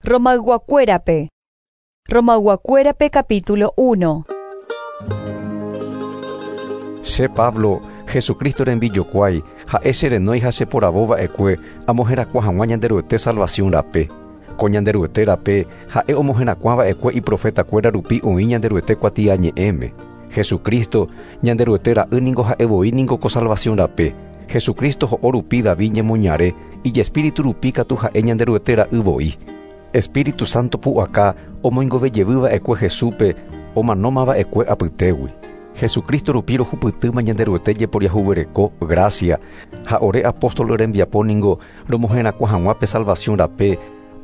Romayguakuérape. Romayguakuérape capítulo 1. Che Pablo, Jesucristo rembijokuái, ha'e che renói ha che poravo va'ekue amoherakuã hag̃ua Ñanderuete salvación rape. Ko Ñanderuete rape ha'e omoherakuã va'ekue iprofetakuéra rupi oĩ Ñanderuete kuatiañe'ẽme. Jesucristo, Ñanderuete ra'y ningo ha'e voi ningo ko salvación rape. Jesucristo ho'o rupi David ñemoñare, ijespíritu rupi katu ha'e Ñanderuete ra'y voi. Espíritu Santo pu'aka omoingove jevy va'ekue Jesúspe omanóma va'ekue apytégui. Jesucristo rupi rohupytýma Ñanderuete jeporiahuvereko, gracia, ha ore apóstol rembiapo ningo romoherakuã hag̃ua pe salvación rape,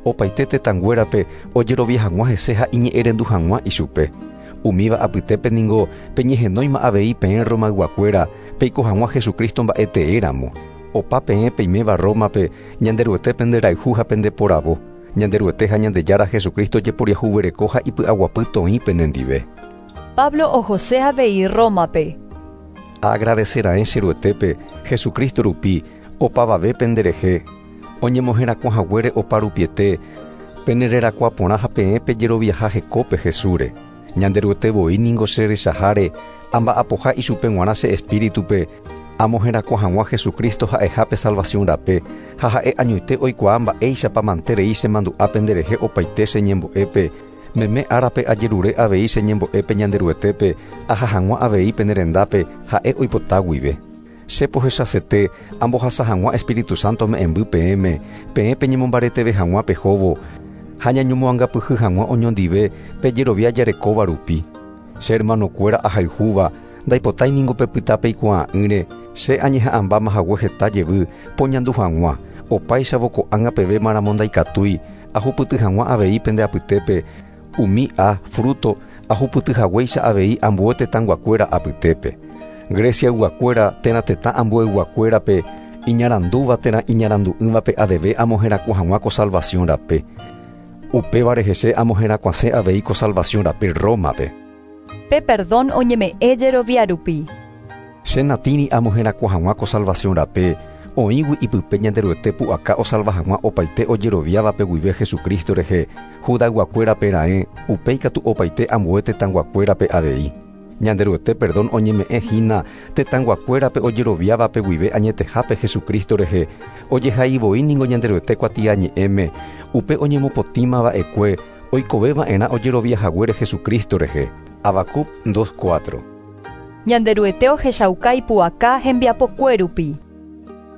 opaite tetãnguérape ojerovia hag̃ua hese ha iñe'ẽrendu hag̃ua ichupe. Umíva apytépe ningo peñehenóima avei peẽ Romayguakuéra peiko hag̃ua Jesucristo mba'eteéramo. Opa peẽ peiméva Rómape Ñanderuete penderayhu ha pendeporavo. Ñanderuete ha Ñandejára Jesucristo jeporiahuvereko ha ipy'aguapy toĩ penendive. Pablo ohose avei Rómape. Aagradecera'ẽ che Ruetépe Jesucristo rupi opavave penderehe, oñemoherakuã haguére opa rupiete, penererakuã porã ha peẽ pejeroviaha hekópe Jesúsre. Ñanderuete voi ningo che rechaháre amba'apoha ichupe g̃uarã che espíritupe amoherakuã hag̃ua Jesucristo ha'eha pe salvación rape ha ha'e añoite oikuaa mba'éichapa manterei chemandu'a penderehe opaite che ñembo'épe meme árape ajerure avei che ñembo'épe Ñanderuetépe aha hag̃ua avei penerendápe ha'e oipota guive. Che pohechasete ambohasa hag̃ua Espíritu Santo me'ẽmby peẽme, peẽ peñemombareteve hag̃ua pehóvo ha ñañomoangapyhy hag̃ua oñondive pejerovia jarekóva rupi. Che hermanokuéra ahayhúva ndaipotái ningo pepyta peikuaa'ỹre che añeha'ãmbáma hague heta jevy poñandu hag̃ua opáichavo ko'ág̃a peve maramo ndaikatúi ahupyty hag̃ua avei pende apytépe umi a fruto ahupyty haguéicha avei ambue tetãnguakuéra apytépe. Greciayguakuéra térã tetã ambueyguakuérape iñarandúva térã iñarandu'ỹvape adeve amoherakuã hag̃ua ko salvación rape. Upévare hese amoherakuãse avei ko salvación rape Rómape. Pe perdón oñeme'ẽ jerovia rupi. Che natĩri amoherakuã hag̃ua ko salvación rape, oĩgui ipype Ñanderuete pu'aka osalva hag̃ua opaite ojeroviávape guive Jesucristo rehe, Judayguakuérape raẽ, upéi katu opaite ambue tetãnguakuérape avei. Ñanderuete perdón oñeme'ẽ hína tetãnguakuérape ojeroviávape guive añetehápe Jesucristo rehe, ojehai voi ningo Ñanderuete kuatiañe'ẽme, upe oñemopotĩma va'ekue oikove va'erã ojerovia haguére Jesucristo rehe. Habacuc 2:4. Ñanderuete ohechauka ipu'aka hembiapokue rupi.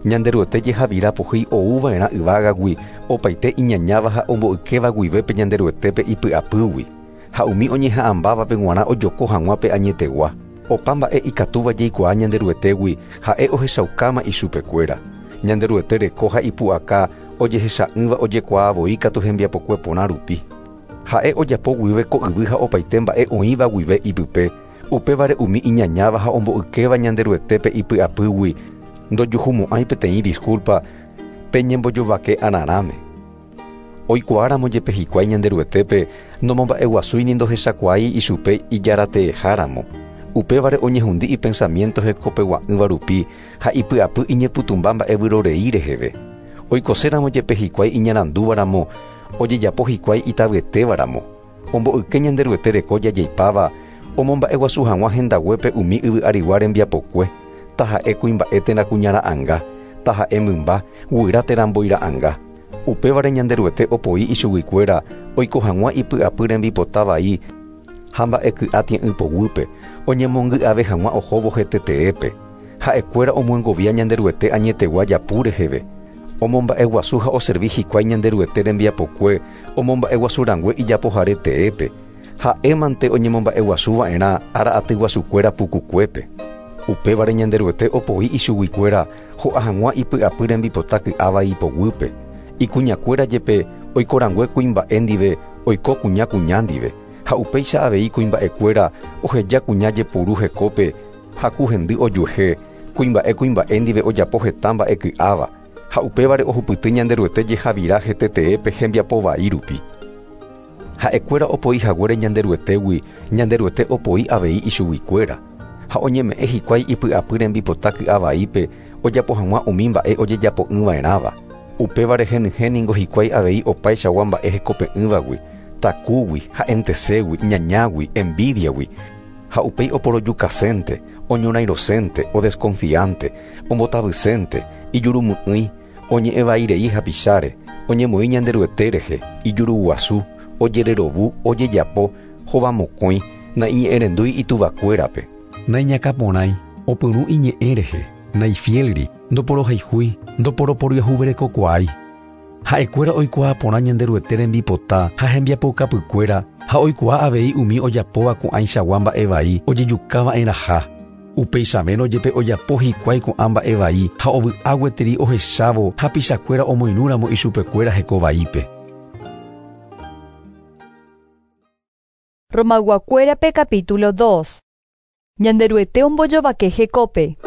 Ñanderuete jehavira pohýi ouva'erã yvágagui opaite iñañáva ha omboykéva guive pe Ñanderuetépe ipy'apýgui. Ha umi oñeha'ãmbávape g̃uarã ojoko hag̃ua pe añetegua. Opa mba'e ikatúva jaikuaa Ñanderuetégui ha'e ohechaukáma ichupekuéra. Ñanderuete reko ha ipu'aka ojehecha'ỹva ojekuaa voi katu hembiapokue porã rupi. Ha'e ojapo guive ko yvy ha opaite mba'e oĩva guive ipype, upévare umi iñañáva ha omboykéva Ñanderuetépe ipy'apýgui ndojuhumo'ãi peteĩ disculpa peñembojovake ararãme. Oikuaáramo jepe hikuái Ñanderuetépe nomomba'eguasúi ni ndohechakuaái ichupe ijarateeháramo. Upévare oñehundi ipensamiento hekopegua'ỹva rupi ha ipy'apy iñepytũmba mba'evyrorei reheve. Oikoséramo jepe hikuái iñarandúvaramo, ojejapo hikuái itavyetévaramo. Omboyke Ñanderuete reko jajaipáva, omomba'eguasu hag̃ua hendaguépe umi yvy arigua rembiapokue, taha'e kuimba'e térã kuñara'ãnga, taha'e mymba, guyra térã mboira'ãnga. Upévare Ñanderuete opoi ichuguikuéra oiko hag̃ua ipy'apy rembipota vai ha mba'eky'a tie'ỹ poguýpe, oñemongy'ave hag̃ua ohóvo heteteépe. Ha'ekuéra omyengovia Ñanderuete añetegua japu reheve. Omomba'eguasu ha oservi hikuái Ñanderuete rembiapokue omomba'eguasu rangue ijapohare teépe. Ha'émante oñemomba'eguasuva'erã ára aty guasukuéra pukukuépe. Upévare Ñanderuete opoi ichuguikuéra ho'a hag̃ua ipy'apy rembipota ky'áva ipoguýpe. Ikuñakuéra jepe oikorangue kuimba'e ndive oiko kuña kuña ndive. Ha upéicha avei kuimba'ekuéra oheja kuña jepuru hekópe ha ku hendy ojuehe, kuimba'e kuimba'e ndive ojapo heta mba'e ky'áva. Ha upévare ohupyty Ñanderuete jehavira heteteépe hembiapo vai rupi. Ha'ekuéra opoi haguére Ñanderuetégui, Ñanderuete opoi avei ichuguikuéra. Ha oñeme'ẽ hikuái ipy'apy rembipota ky'a vaípe ojapo hag̃ua umi mba'e ojejapo'ỹva'erãva. Upévare henyhẽ ningo hikuái avei opaichagua mba'e hekope'ỹvagui, takúgui, ha'enteségui, ñañágui, envidiagui, ha upéi oporojukasénte, oñorairõsénte, odesconfiante, ombotavysénte, ijurumy'ỹi, oñe'ẽvairei hapicháre, oñemoĩ Ñanderuete rehe, ijuruguasu, ojererovu, ojejapo, hovamokõi, naiñe'ẽrendúi ituvakuérape. Naiñakãporãi, opyrũ iñe'ẽ rehe, naifiélri, ndoporohayhúi, ndoporoporiahuverekokuaái. Ha'ekuéra oikuaa porã Ñanderuete rembipota ha hembiapoukapykuéra ha oikuaa avei umi ojapóva ko'ãichagua mba'e vai ojejukava'erãha. Upeichavérõ jepe ojapo hikuái ko'ã mba'e vai ha ovy'a gueteri ohechávo hapichakuéra omoirũramo ichupekuéra hekovaípe. Romayguakuérape capítulo 2. Ñanderuete ombojovake hekópe.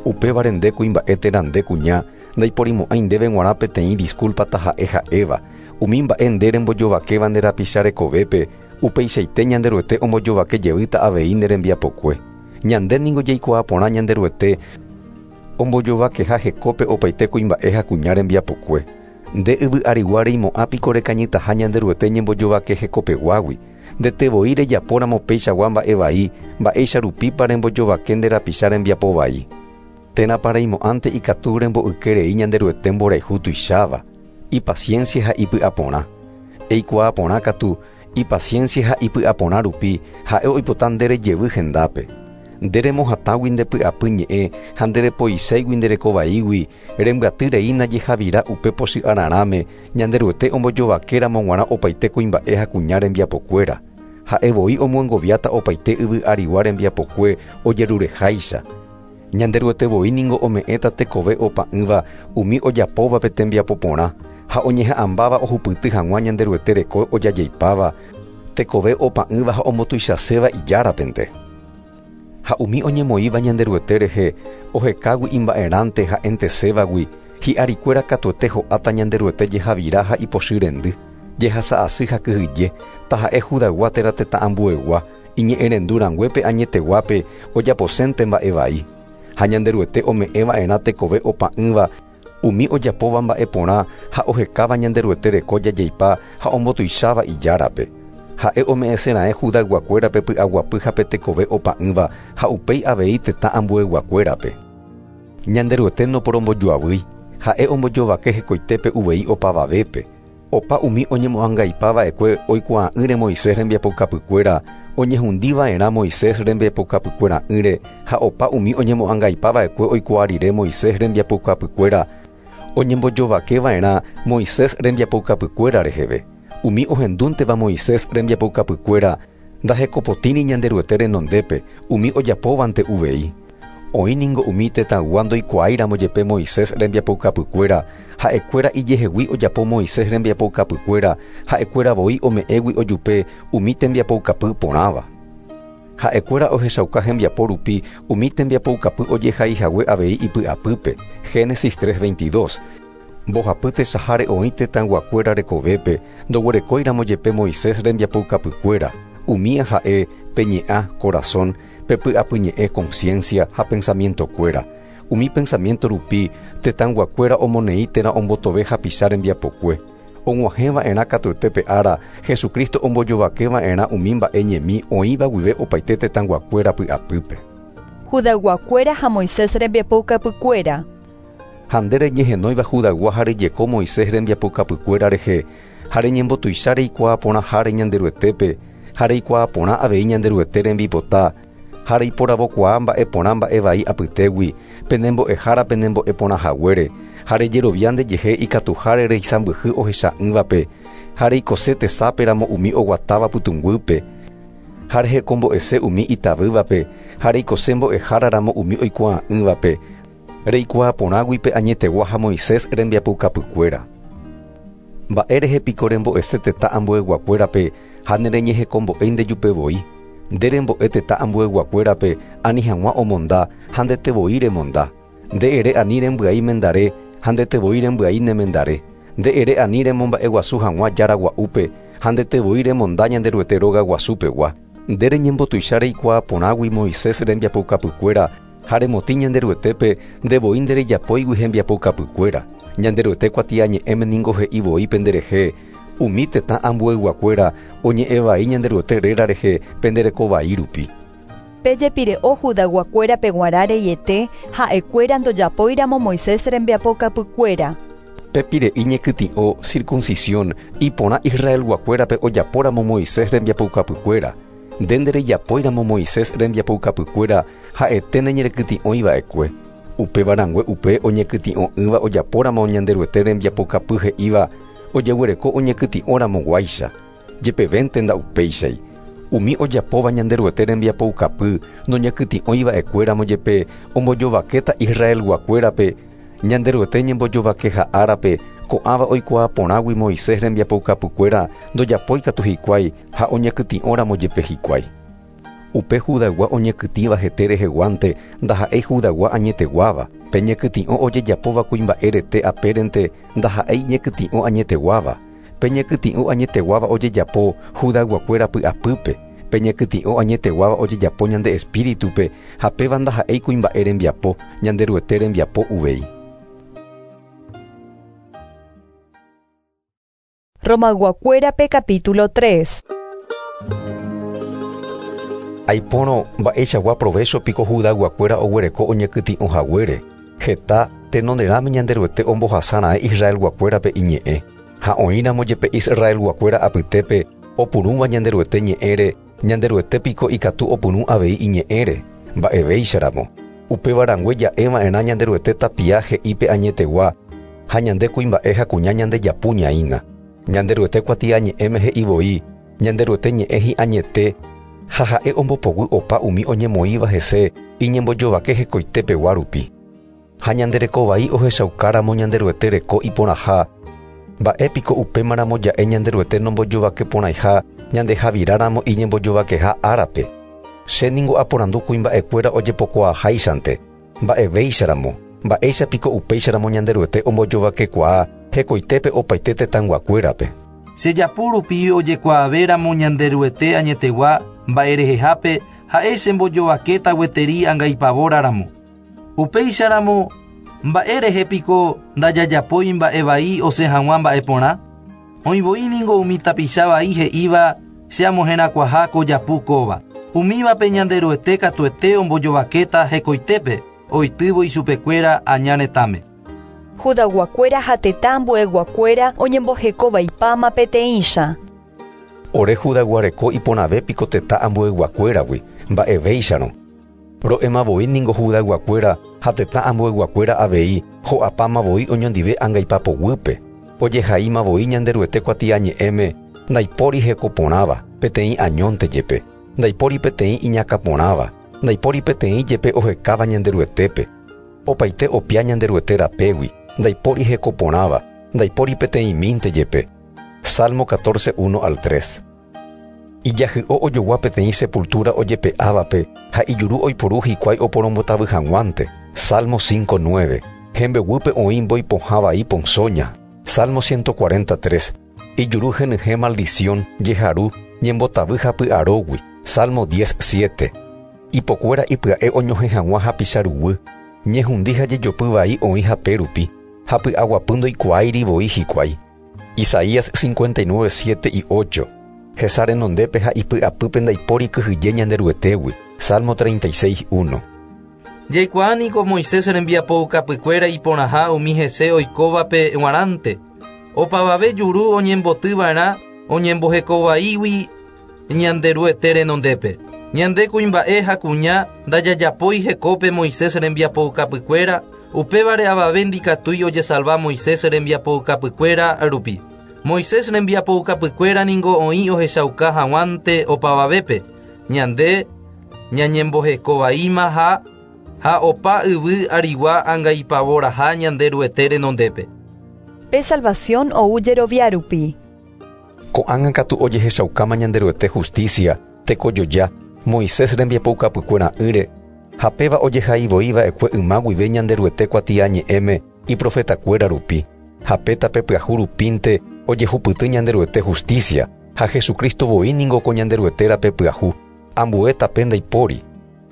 Upévare nde kuimba'e térã nde kuña, ndaiporimo'ãi ndéve g̃uarã peteĩ disculpa taha'e ha'éva, umi mba'e nde rembojovakéva nde rapicha rekovépe, upeichaite Ñanderuete ombojovake jevýta avei nde rembiapokue. Ñande ningo jaikuaa porã Ñanderuete ombojovakeha hekópe opaite kuimba'e ha kuña rembiapokue. Nde yvy arigua reimo'ã piko rekañytaha Ñanderuete ñembojovake hekopeguágui. Ndete voi rejapóramo peichagua mba'e vai, mba'éicha rupípa rembojovake nde rapicha rembiapo vai. Térãpa reimo'ãnte ikatu remboyke rei Ñanderuete mborayhu tuicháva, ipaciencia ha ipy'aporã. Eikuaa porã katu, ipaciencia ha ipy'aporã rupi ha'e oipota nde rejevy hendápe. Nde remohatãgui nde py'apy ñe'ẽ ha nde repoiséigui nde rekovaígui, rembyaty reína jehavira upe pochy'ararãme Ñanderuete ombojovakéramo g̃uarã opaite kuimba'e ha kuña rembiapokuéra. Ha'e voi omyengoviáta opaite yvy arigua rembiapokue ojerureháicha. Ñanderuete voi ningo ome'ẽta tekove opa'ỹva umi ojapóvape tembiapo porã ha oñeha'ãmbáva ohupyty hag̃ua Ñanderuete reko ojajaipáva, tekove opa'ỹva ha ombotuichaséva ijárapente. Ha umi oñemoĩva Ñanderuete rehe ohekágui imba'erãnte ha'entesévagui, hi'arikuéra katuete ho'áta Ñanderuete jehavira ha ipochy rendy, jehasa'asy ha kyhyje, taha'e Judaygua térã tetã ambuegua, iñe'ẽrendu ranguépe añeteguápe ojaposénte mba'e vai. Ha Ñanderuete ome'ẽva'erã tekove opa'ỹva umi ojapóva mba'e porã ha ohekáva Ñanderuete reko jajaipa ha ombotuicháva ijárape. Ha'e ome'ẽseraẽ Judayguakuérape py'aguapy ha pe tekove opa'ỹva ha upéi avei tetã ambueyguakuérape. Ñanderuete noporombojoavýi, ha'e ombojovake hekoitépe uvei opavavépe. Opa umi oñemo'angaipava'ekue oikuaa'ỹre Moisés rembiapoukapykuéra, oñehundiva'erã Moisés rembiapoukapykuera'ỹre ha opa umi oñemo'angaipava'ekue oikuaa rire Moisés rembiapoukapykuéra, oñembojovakeva'erã Moisés rembiapoukapykuéra reheve. Umi ohendúnteva Moisés rembiapoukapykuéra ndahekopotĩri Ñanderuete renondépe, umi ojapóvante uvei. Oĩ ningo umi tetãygua ndoikuaáiramo jepe Moisés rembiapoukapykuéra, ha'ekuéra ijehegui ojapo Moisés rembiapoukapykuéra, ha'ekuéra voi ome'ẽgui ojupe umi tembiapoukapy porãva. Ha'ekuéra ohechauka hembiapo rupi umi tembiapoukapy ojehaihague avei ipy'apýpe. Génesis 3:22. Mbohapy tesaháre oĩ tetãyguakuéra rekovépe, ndoguerekóiramo jepe Moisés rembiapoukapykuéra, umía ha'e pe ñe'ã, corazón, pe py'apyñe'ẽ, conciencia ha pensamientokuéra. Umi pensamiento rupi tetãyguakuéra omoneĩ térã ombotove hapicha rembiapokue. Og̃uahẽva'erã katuete pe ára Jesucristo ombojovakeva'erã umi mba'e ñemi oĩva guive opaite tetãyguakuéra py'apýpe. Judayguakuéra ha Moisés rembiapoukapykuéra. Ha nde reñehenóiva Judaygua ha rejeko Moisés rembiapoukapykuéra rehe, ha reñembotuicha reikuaa porãháre Ñanderuetépe, ha reikuaa porã avei Ñanderuete rembipota, ha reiporavokuaa mba'e porã mba'e vai apytégui, penembo'ehára penembo'e porãhaguére, ha rejerovia ndejehe ikatuháre reisãmbyhy ohecha'ỹvape, ha reikose tesáperamo umi oguatáva pytũnguýpe, ha rehekombo'ese umi itavývape, ha reikose mbo'eháraramo umi oikuaa'ỹvape, reikuaa porãgui pe añetegua ha Moisés rembiapoukapykuéra. Mba'e rehe piko rembo'ese tetã ambueyguakuérape ha nereñehekombo'éi ndejupe voi. Nde rembo'e tetã ambueyguakuérape ani hag̃ua omonda ha ndete voi remonda. Nde ere ani rembyai mendare ha ndete voi rembyai ne mendare. Nde ere ani remomba'eguasu hag̃ua jára gua'úpe ha ndete voi remonda Ñanderuete róga guasupegua. Nde reñembotuicha reikuaa porãgui Moisés rembiapoukapykuéra Ha remotĩ Ñanderuetépe nde voi nderejapóigui hembiapoukapykuéra. Ñanderuete kuatiañe'ẽme ningo he'i voi penderehe, Umi tetã ambueyguakuéra oñe'ẽ vai Ñanderuete réra rehe pende reko vai rupi. Pe jepire'o Judayguakuérape g̃uarã reiete, ha'ekuéra ndojapóiramo Moisés rembiapokapykuéra. Pe pire'i ñekytĩ'o, circuncisión, iporã Israelguakuérape ojapóramo Moisés rembiapoukapykuéra. Nde nderejapóiramo Moisés rembiapoukapykuéra ha'ete neñerekytĩ'ói va'ekue. Upéva rangue upe oñekytĩ'o'ỹva ojapóramo Ñanderuete rembiapokapy he'íva ojeguereko oñekytĩ'óramo guáicha. Jepevénte nda'upéichai. Umi ojapóva Ñanderuete rembiapoukapy noñekytĩ'ói va'ekuéramo jepe ombojovakéta Israelguakuérape Ñanderuete ñembojovakeha árape, ko'ãva oikuaa porãgui Moisés rembiapoukapykuéra ndojapói katu hikuái ha oñekytĩ'óramo jepe hikuái. Upe Judaygua oñekytĩva hete reheguánte ndaha'éi Judaygua añeteguáva, pe ñekytĩ'o ojejapóva kuimba'e rete apérente ndaha'éi ñekytĩ'o añeteguáva. Pe ñekytĩ'o añeteguáva ojejapo Judayguakuéra py'apýpe, pe ñekytĩ'o añeteguáva ojejapo ñande espíritupe ha péva ndaha'éi kuimba'e rembiapo, Ñanderuete rembiapo uvei. Romayguakuérape capítulo 3. Aipórõ, mba'eichagua provécho piko Judayguakuéra oguereko oñekytĩ'o haguére? Heta tenonderãme Ñanderuete ombohasa raẽ Israelguakuérape iñe'ẽ. Ha oĩramo jepe Israelguakuéra apytépe opurũva Ñanderuete ñe'ẽre, Ñanderuete piko ikatu opyrũ avei iñe'ẽre? Mba'evéicharamo. Upéva rangue ja'e va'erã Ñanderuete tapia he'i pe añetegua, ha ñande kuimba'e ha kuña ñandejapu ñaína. Ñanderuete kuatiañe'ẽme he'i voi, Ñanderuete ñe'ẽ hi'añete, ha ha'e ombopoguy opa umi oñemoĩva hese iñembojovake hekoite pegua rupi. Ha ñande reko vai ohechaukáramo Ñanderuete reko iporãha, mba'e piko upémaramo ja'e Ñanderuete nombojovake porãiha ñandehaviráramo iñembojovakeha árape? Che ningo aporandu kuimba'ekuéra ojepokuaaháichante, mba'evéicharamo, mba'éicha piko upéicharamo Ñanderuete ombojovakekuaa hekoitépe opaite tetãyguakuérape? Che japu rupi ojekuaavéramo Ñanderuete añetegua mba'erehehápe ha'e chembojovakéta gueteri angaipavóra ramo. Upéicharamo, mba'e rehe piko ndajajapói mba'e vai osẽ hag̃ua mba'e porã? Oĩ voi ningo umi tapicha vai he'íva che amoherakuãha ko japu kóva. Umívape Ñanderuete katuete ombojovakéta hekoitépe oitývo ichupekuéra aña retãme. Judayguakuéra ha tetã ambueyguakuéra oñemboheko vaipáma peteĩcha. Ore Judaygua reko iporãve piko tetã ambueyguakuéragui, mba'evéicharõ. Ro'éma voi ningo Judayguakuéra ha tetã ambueyguakuéra avei ho'apáma voi oñondive angaipa poguýpe. Ojehaíma voi Ñanderuete kuatiañe'ẽme, Ndaipóri heko porãva, peteĩ añónte jepe. Ndaipóri peteĩ iñakã porãva, ndaipóri peteĩ jepe ohekáva Ñanderuetépe. Opaite opia Ñanderuete rapégui, ndaipóri heko porãva, ndaipóri peteĩmínte jepe. Salmo 14, 1 al 3. Ijahy'o ojogua peteĩ sepultúra ojepe'ávape ha ijuru oiporu hikuái oporombotavy hag̃uánte. Salmo 5, 9. Hembeguýpe oĩ mbói pohã vai ponsóña. Salmo 143. Ijuru henyhẽ maldisión, jeharu, ñembotavy ha py'arógui. Salmo 10, 7. Ipokuéra ipya'e oñohẽ hag̃ua hapicha ruguy. Ñehundi ha jejopy vai oĩ hape rupi, ha py'aguapy ndoikuaáiri voi hikuái. Isaías 59, 7 y 8. Hesa renondépe ha ipy'apýpe ndaipóri kyhyje Ñanderuetégui. Salmo 36, 1. Jaikuaa niko Moisés rembiapoukapykuéra iporãha umi hese oikóvape g̃uarãnte. Opavave juru oñemboty va'erã oñembohekovaígui Ñanderuete renondépe. Ñande kuimba'e ha kuña ndajajapói hekópe Moisés rembiapoukapykuéra, upévare avave ndikatúi ojesalva Moisés rembiapoukapykuéra rupi. Moisés rembiapoukapykuéra ningo oĩ ohechauka hag̃uánte opavavépe, ñande ñañembohekovaíma ha ha opa yvy arigua angaipavoraha Ñanderuete renondépe. Pe salvación ou jerovia rupi. Ko'ág̃a katu ojehechaukáma Ñanderuete justícia, tekojoja, Moisés rembiapoukapykuera'ỹre, ha péva ojehai voi va'ekue yma guive Ñanderuete kuatiañe'ẽme iprofetakuéra rupi, ha pe tape pyahu rupínte ojehupyty Ñanderuete justícia, ha Jesucristo voi ningo ko Ñanderuete rape pyahu, ambue tape ndaipóri.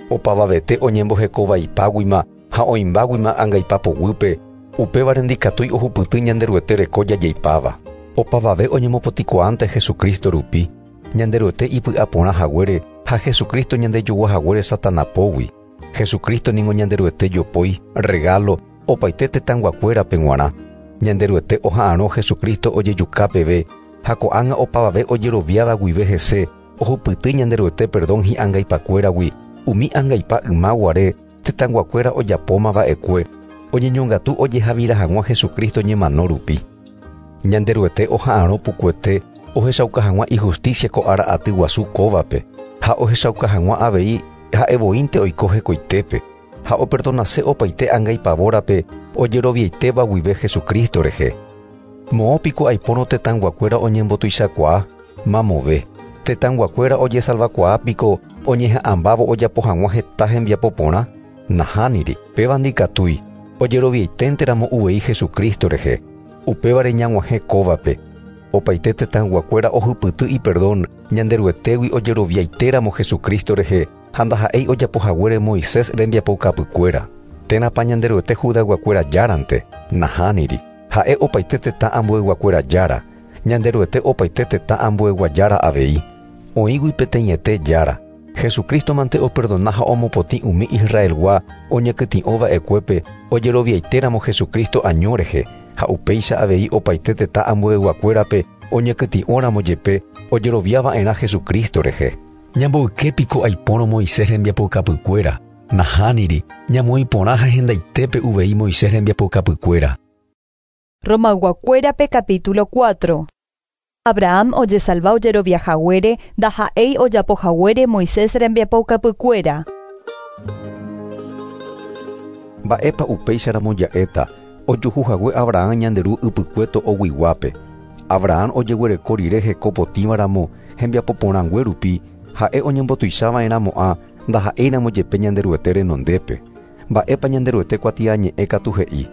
Opavavete oñembohekovaipáguima ha oĩmbáguima angaipa poguýpe, upévare ndikatúi ohupyty Ñanderuete reko jajeipáva. Opavave oñemopotĩkuaánte Jesucristo rupi, Ñanderuete ipy'aporã haguére ha Jesucristo ñandejoguahaguére Satanapógui. Jesucristo ningo Ñanderuete jopói, regalo, opaite tetãyguakuérape g̃uarã. Ñanderuete oha'arõ Jesucristo ojejuka peve ha ko'ág̃a opavave ojeroviáva guive hese ohupyty Ñanderuete perdón hi'angaipakuéragui umi angaipa yma guare tetãyguakuéra ojapóma va'ekue oñeñongatu ojehavira hag̃ua Jesucristo ñemano rupi. Ñanderuete oha'arõ pukuete ohechauka hag̃ua ijusticia ko ára aty guasu kóvape ha ohechauka hag̃ua avei ha'evoínte oiko hekoitépe ha operdonase opaite angaipavórape ojeroviaitéva guive Jesucristo rehe. Moõ piko aipórõ tetãyguakuéra oñembotuichakuaa, mamove. Tetãyguakuéra ojesalvakuaa piko oñeha'ãmbávo ojapo hag̃ua heta hembiapo porã? Nahániri, péva ndikatúi, ojeroviaiténteramo uvei Jesucristo rehe. Upévare ñag̃uahẽ kóvape. Opaite tetãyguakuéra ohupyty iperdón Ñanderuetégui ojeroviaitéramo Jesucristo rehe ha ndaha'éi ojapohaguére Moisés rembiapoukapykuéra. Térãpa Ñanderuete Judayguakuéra járante? Nahániri. Ha'e opaite tetã ambueyguakuéra jára. Ñanderuete opaite tetã ambueygua jára avei. Oĩgui peteĩete jára. Jesucristo mante operdona ha omopotĩ umi Israelgua oñekytĩ'ova'ekuépe ojeroviaitéramo Jesucristo año rehe, ha upéicha avei opaite tetã ambueyguakuérape oñekytĩ'óramo jepe ojeroviava'erã Jesucristo rehe. Ñamboyke piko aipórõ Moisés rembiapoukapykuéra, nahániri, ñamoĩ porã ha hendaitépe uvei Moisés rembiapoukapykuéra. Romayguakuérape capítulo 4. Abraham ojesalva ojeroviahaguére ndaha'éi ojapohaguére Moisés rembiapoukapykuéra. Mba'épa upéicharamo ja'éta ojuhuhague Abraham ñande ru ypykue to'oguiguápe. Abraham ojeguereko rire heko potĩvaramo hembiapo porãngue rupi, ha'e oñembotuichava'erãmo'ã ndaha'éiramo jepe Ñanderuete renondépe. Mba'épa Ñanderuete kuatiañe'ẽ katu he'i?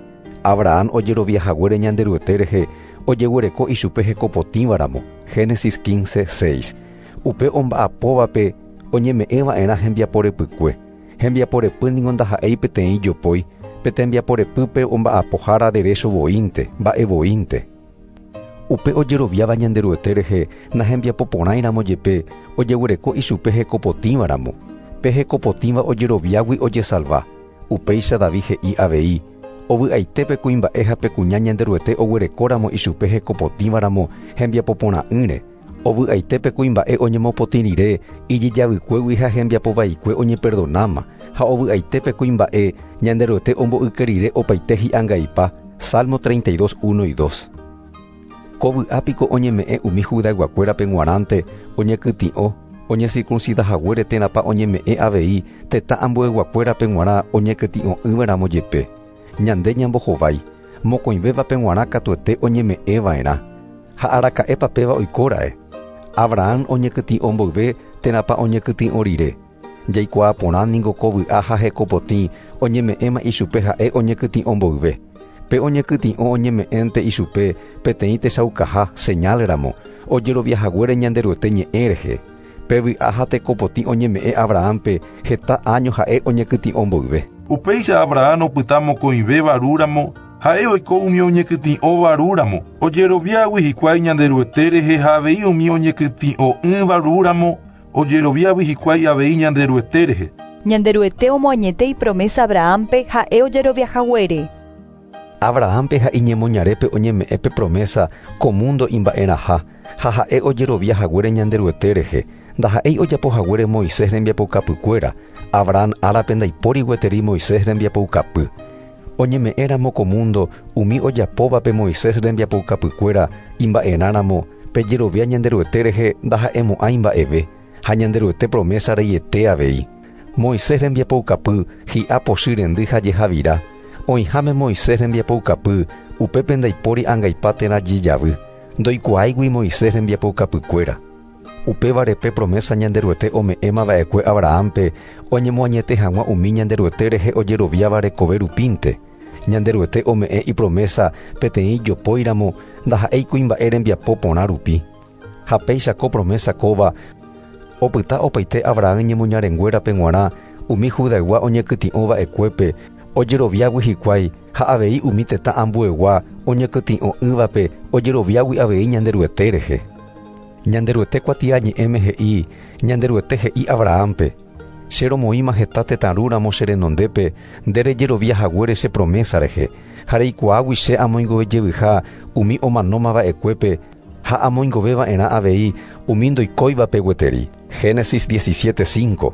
Abraham ojeroviahaguére Ñanderuete rehe ojeguereko ichupe heko potĩvaramo. Génesis 15, 6. Upe omba'apóvape oñeme'ẽva'erã hembiaporepykue. Hembiaporepy ningo ndaha'éi peteĩ jopói, pe tembiaporepýpe omba'apohára derecho voínte, mba'e voínte. Upe ojeroviáva Ñanderuete rehe nahembiapoporãiramo jepe ojeguereko ichupe hekopotĩvaramo. Pe hekopotĩva ojeroviágui ojesalva. Upéicha David he'i avei, ovy'aitépe kuimba'e ha pe kuña Ñanderuete oguerekóramo ichupe hekopotĩvaramo hembiapoporã'ỹre. Ovy'aitépe kuimba'e oñemopotĩ rire ijejavykuégui ha hembiapovaikue oñeperdonáma, ha ovy'aitépe kuimba'e Ñanderuete omboyke rire opaite hi'angaipa. Salmo 32, 1 y 2. Ko vy'a piko oñeme'ẽ umi Judayguakuérape g̃uarãnte oñekytĩ'o, oñecircuncidahaguére térãpa oñeme'ẽ avei tetã ambueyguakuérape g̃uarã oñekytĩ'o'ỹvaramo jepe. Ñande ñambohovái, mokõivévape g̃uarã katuete oñeme'ẽva'erã. Ha araka'épa péva oikóra'e? Abraham oñekytĩ'o mboyve térãpa oñekytĩ'o rire. Jaikuaa porã ningo ko vy'a ha hekopotĩ oñeme'ẽma ichupe ha'e oñekytĩ'o mboyve. Pe oñekytĩ'o oñeme'ẽnte ichupe peteĩ techaukaha, señal ramo, ojeroviahaguére Ñanderuete ñe'ẽ rehe. Pe vy'a ha tekopotĩ oñeme'ẽ Abrahampe heta áño ha'e oñekytĩ'o mboyve. Upéicha Abraham opyta mokõivéva rúramo, ha'e oiko umi oñekytĩ'óva rúramo, ojeroviágui hikuái Ñanderuete rehe ha avei umi oñekytĩ'o'ỹva rúramo, ojeroviágui hikuái avei Ñanderuete rehe. Ñanderuete omoañete ipromesa Abrahampe ha'e ojeroviahaguére. Abrahampe ha iñemoñarépe oñeme'ẽ pe promesa ko mundo imba'erãha ha ha'e ojeroviahaguére Ñanderuete rehe, ndaha'éi ojapohaguére Moisés rembiapoukapykuéra, Abraham árape ndaipóri gueteri Moisés rembiapoukapy. Oñeme'ẽramo ko mundo umi ojapóvape Moisés rembiapoukapykuéra imba'erãramo pe jerovia Ñanderuete rehe ndaha'emo'ãi mba'eve, ha Ñanderuete promesa reiete avei. Moisés rembiapoukapy hi'a pochy rendy ha jehavira. Oĩháme Moisés rembiapoukapy upépe ndaipóri angaipa térã jejavy. Ndoikuaáigui Moisés rembiapoukapykuéra. Upévare pe promesa Ñanderuete ome'ẽmava'ekue Abrahampe oñemoañete hag̃ua umi Ñanderuete rehe ojeroviáva rekove rupínte. Ñanderuete ome'ẽ ipromesa peteĩ jopóiramo ndaha'éi kuimba'e rembiapo porã rupi. Ha péicha ko promesa kóva opyta opaite Abraham ñemoñarenguérape g̃uarã umi Judaygua oñekytĩ'ova'ekuépe ojeroviágui hikuái ha avei umi tetã ambuegua oñekytĩ'o'ỹvape ojeroviágui avei Ñanderuete rehe. Ñanderuete kuatiañe'ẽme he'i, Ñanderuete he'i Abrahampe, Che romoĩma heta tetã rúramo che renondépe nde rejerovia haguére che promesa rehe, ha reikuaágui che amoingovejevyha umi omanómava'ekuépe ha amoingoveva'erã avei umi ndoikóivape gueteri. Génesis 17:5.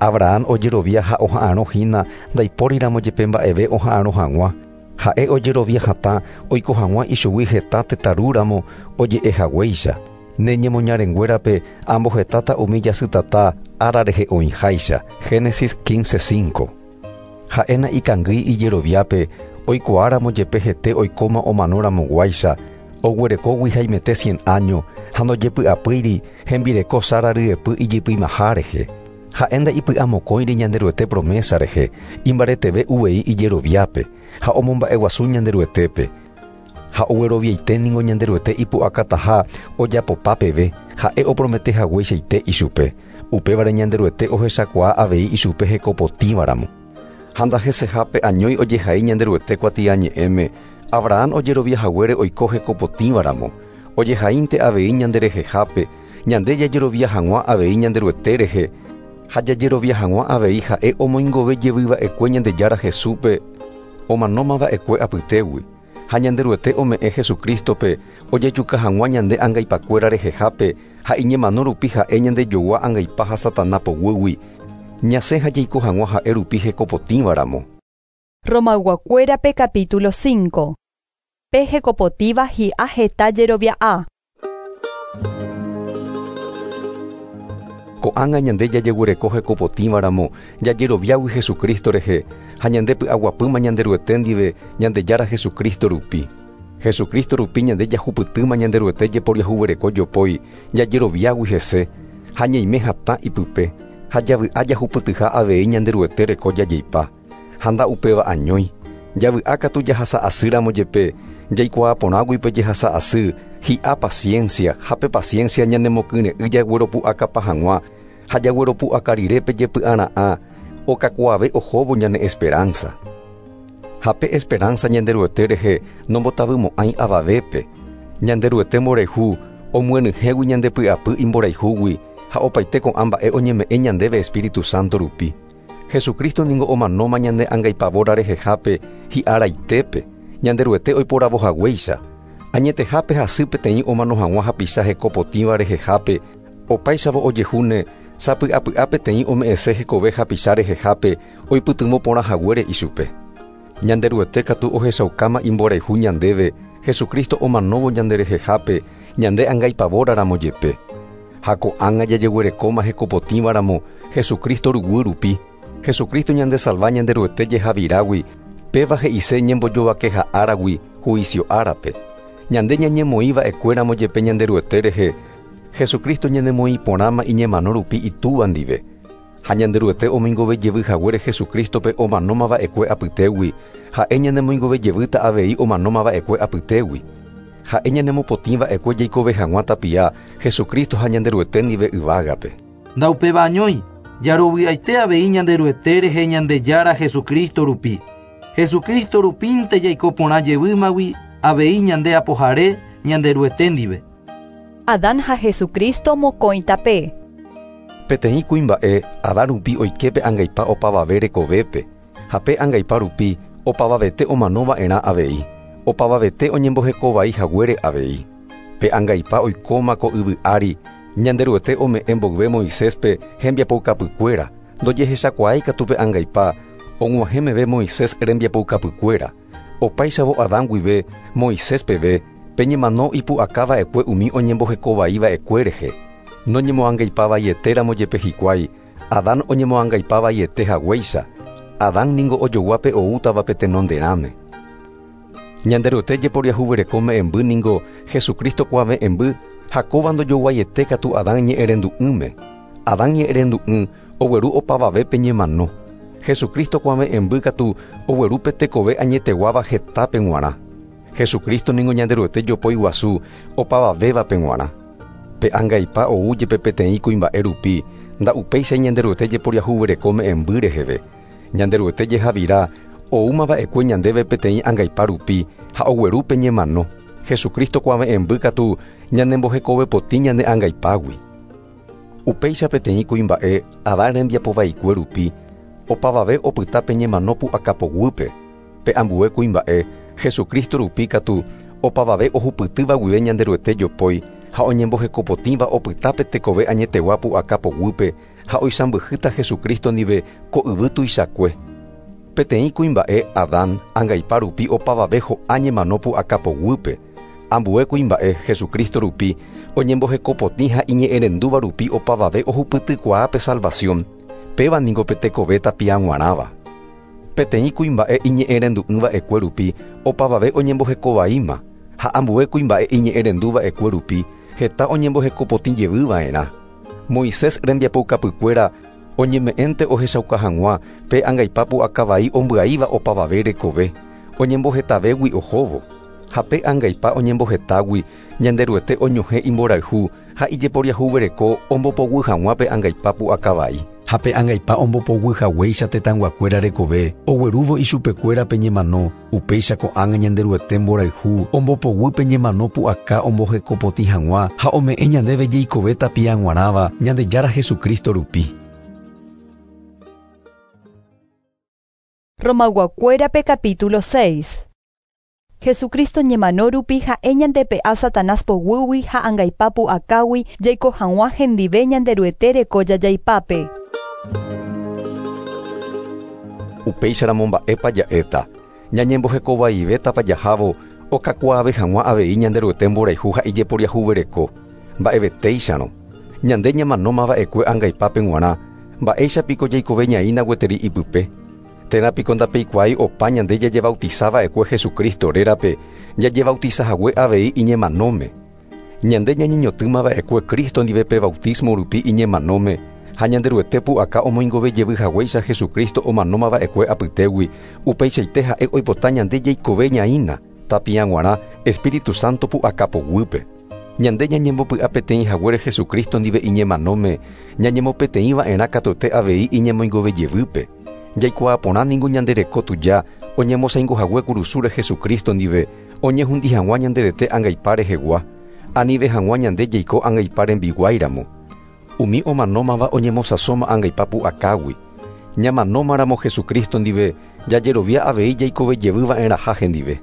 Abraham ojerovia ha oha'arõ hína ndaipóriramo jepe mba'eve oha'arõ hag̃ua. Ha'e ojerovia hatã oiko hag̃ua ichugui heta tetã rúramo oje'ehaguéicha. Ne ñemoñarenguérape ambohetáta umi jasytata ára rehe oĩháicha. Génesis 15:5. Ha'éna ikangýi ijeroviápe oikuaáramo jepe hete oikóma omanóramoguáicha, oguerekógui haimete 100 áño ha ndojepy'apýiri hembireko Sara ryepy ijypymaha rehe. Ha'e ndaipy'amokõiri Ñanderuete promesa rehe, imbareteve uvei ijeroviápe ha omomba'eguasu Ñanderuetépe. Ha ogueroviaite ningo Ñanderuete ipu'akataha ojapopa peve, ha'e opromete hagueichaite ichupe. Upévare Ñanderuete ohechakuaa avei ichupe hekopotĩvaramo. Ha ndahesehápe añói ojehai Ñanderuete kuatiañe'ẽme, Abraham ojerovia haguére oiko hekopotĩvaramo. Ojehaínte avei ñanderehehápe, ñande jajerovia hag̃ua avei Ñanderuete rehe, ha jajerovia hag̃ua avei ha'e omoingove jevyva'ekue Ñandejára Jesúspe omanómava'ekue apytégui. Ha Ñanderuete ome'ẽ Jesucristope ojejuka hag̃ua ñande angaipakuéra rehehápe ha iñemano rupi ha'e ñandejogua angaipa ha Satanás poguýgui, ñasẽ ha jaiko hag̃ua ha'e rupi hekopotĩvaramo. Romayguakuérape capítulo 5. Pe hekopotíva hi'a heta jerovia'a. Ko'ág̃a ñande jajeguereko hekopotĩvaramo jajeroviágui Jesucristo rehe ha ñande py'aguapýma Ñanderuete ndive Ñandejára Jesucristo rupi. Jesucristo rupi ñande jahupytýma Ñanderuete jeporiahuvereko jopói jajeroviágui hese ha ñaime hatã ipype ha javy'a jahupytyha avei Ñanderuete reko jajeipa. Ha nda'upéva añói. Javy'a katu jahasa'asýramo jepe jaikuaaporãgui pe jehasa'asy hi'a paciencia ha pe paciencia ñanemokyre'ỹ jagueropu'akapa hag̃ua ha jagueropu'aka rire pe jepy'ara'ã okakuaave ohóvo ñane esperanza. Ha pe esperanza Ñanderuete rehe nombotavymo'ãi avavépe. Ñanderuete mborayhu omyenyhẽgui ñandepy'apy imborayhúgui ha opaite ko'ã mba'e oñeme'ẽ ñandéve Espíritu Santo rupi. Jesucristo ningo omanóma ñane angaipavóra rehehápe hi'araitépe, Ñanderuete oiporavohaguéicha. Añetehápe hasy peteĩ omano hag̃ua hapicha hekopotĩva rehehápe, opáichavo ojehúne sapy'apy'a peteĩ ome'ẽse hekove hapicha rehehápe oipytyvõ porã haguére ichupe. Ñanderuete katu ohechaukáma imborayhu ñandéve Jesucristo omanóvo ñanderehehápe ñande angaipavóraramo jepe. Ha ko'ág̃a jajeguerekóma hekopotĩvaramo Jesucristo ruguy rupi. Jesucristo ñandesalva Ñanderuete jehavirágui, péva he'ise ñembojovakeha áragui juicio árape. Ñande ñañemoĩva'ekuéramo jepe Ñanderuete rehe, Jesucristo ñanemoĩ porãma iñemano rupi itúva ndive. Ha Ñanderuete omoingovejevy haguére Jesucristope omanómava'ekue apytégui, ha'e ñanemoingovejevýta avei omanómava'ekue apytégui. Ha'e ñanemopotĩva'ekue jaikove hag̃ua tapia Jesucristo ha Ñanderuete ndive yvágape. Ndaupéva añói, jarovy'aite avei Ñanderuete rehe Ñandejára Jesucristo rupi. Jesucristo rupínte jaiko porã jevýmagui avei ñande apohare Ñanderuete ndive. Adán ha Jesucristo mokõi tape. Peteĩ kuimba'e Adán rupi oiképe angaipa opavave rekovépe, ha pe angaipa rupi opavavete omanova'erã avei, opavavete oñembohekovai haguére avei. Pe angaipa oikóma ko yvy ári, Ñanderuete ome'ẽ mboyve Moiséspe hembiapoukapykuéra, ndojehechakuaái katu pe angaipa og̃uahẽ meve Moisés rembiapoukapykuéra. Opáichavo Adán guive Moisés peve pe ñemano ipu'akava'ekue umi oñembohekovaiva'ekue rehe. Noñemoangaipavaietéramo jepe hikuái, Adán oñemoangaipavaiete haguéicha. Adán ningo ojoguápe oútavape tenonderãme. Ñanderuete jeporiahuvereko me'ẽmby ningo Jesucristo kuave'ẽmby ha kóva ndojoguaiete katu Adán ñe'ẽrendu'ỹme. Adán ñe'ẽrendu'ỹ ogueru opavavépe ñemano. Jesucristo kuave'ẽmby katu oguerúpe tekove añeteguáva hetápe g̃uarã. Jesucristo ningo Ñanderuete jopói guasu opavavévape g̃uarã. Pe angaipa ou jepe peteĩ kuimba'e rupi, Nda'upéicha Ñanderuete jeporiahuvereko me'ẽmby reheve. Ñanderuete jehavira oúmava'ekue ñandéve peteĩ angaipa rupi ha ogueru pe ñemano. Jesucristo kuave'ẽmby katu ñanembohekovepotĩ ñane angaipágui. Upéicha peteĩ kuimba'e Adán rembiapovaikue rupi opavave opyta pe ñemano pu'akapoguýpe. Pe ambue kuimba'e Jesucristo rupi katu opavave ohupytýva guive Ñanderuete jopói ha oñembohekopotĩva opyta pe tekove añetegua pu'akapoguýpe ha oisãmbyhýta Jesucristo ndive ko yvy tuichakue. Peteĩ kuimba'e Adán angaipa rupi opavave ho'a ñemano pu'akapoguýpe. Ambue kuimba'e Jesucristo rupi oñembohekopotĩ ha iñe'ẽrendúva rupi opavave ohupytykuaa pe salvación. Péva niko pe tekove tapiag̃uarãva. Peteĩ kuimba'e iñe'ẽrendu'ỹva'ekue rupi opavave oñembohekovaíma ha ambue kuimba'e iñe'ẽrenduva'ekue rupi heta oñembohekopotĩ jevyva'erã. Moisés rembiapoukapykuéra oñeme'ẽnte ohechauka hag̃ua pe angaipa pu'akavai ombyaíva opavave rekove oñembohetavégui ohóvo. Ha pe angaipa oñembohetágui Ñanderuete oñohẽ imborayhu ha ijeporiahuvereko ombopoguy hag̃ua pe angaipa pu'akavai. Ha pe angaipa ombopoguy haguéicha tetãyguakuéra rekove oguerúvo ichupekuéra pe ñemano, upéicha ko'ág̃a Ñanderuete mborayhu ombopoguy pe ñemano pu'aka ombohekopotĩ hag̃ua ha ome'ẽ ñandéve jeikove tapiag̃uarãva Ñandejára Jesucristo rupi. Romayguakuérape capítulo 6. Jesucristo ñemano rupi ha'e ñandepe'a Satanás poguýgui ha angaipa pu'akágui jaiko hag̃ua hendive Ñanderuete reko jajaipápe. Upéicharamo mba'épa ja'éta. Ñañembohekovaivétapa jahávo okakuaave hag̃ua avei Ñanderuete mborayhu ha ijeporiahuvereko. Mba'evetéicharõ. Ñande ñamanómava'ekue angaipápe g̃uarã, mba'éichapiko jaikove ñaína gueteri ipype. Térã piko ndapeikuaái opa ñande jajebautizava'ekue Jesucristo rérape, jajebautizahague avei iñemanóme. Ñande ñañeñotỹmava'ekue Cristo ndive pe bautismo rupi iñemanóme, ha Ñanderuete pu'aka omoingove jevy haguéicha Jesucristo omanómava'ekue apytégui, upeichaite ha'e oipota ñande jaikove ñaína, tapiag̃uarã Espíritu Santo pu'aka poguýpe. Ñande ñañembopy'a peteĩ haguére Jesucristo ndive iñemanóme, ñañemopeteĩva'erã katuete avei iñemoingove jevýpe. Jaikuaa porã ningo ñande reko tuja oñemosaingohague kurusúre Jesucristo ndive oñehundi hag̃ua ñanderete angaipa rehegua, anive hag̃ua ñande jaiko angaipa rembiguáiramo. Umi omanómava oñemosãsóma angaipa pu'akágui. Ñamanómaramo Jesucristo ndive jajerovia avei jaikove jevyva'erãha hendive.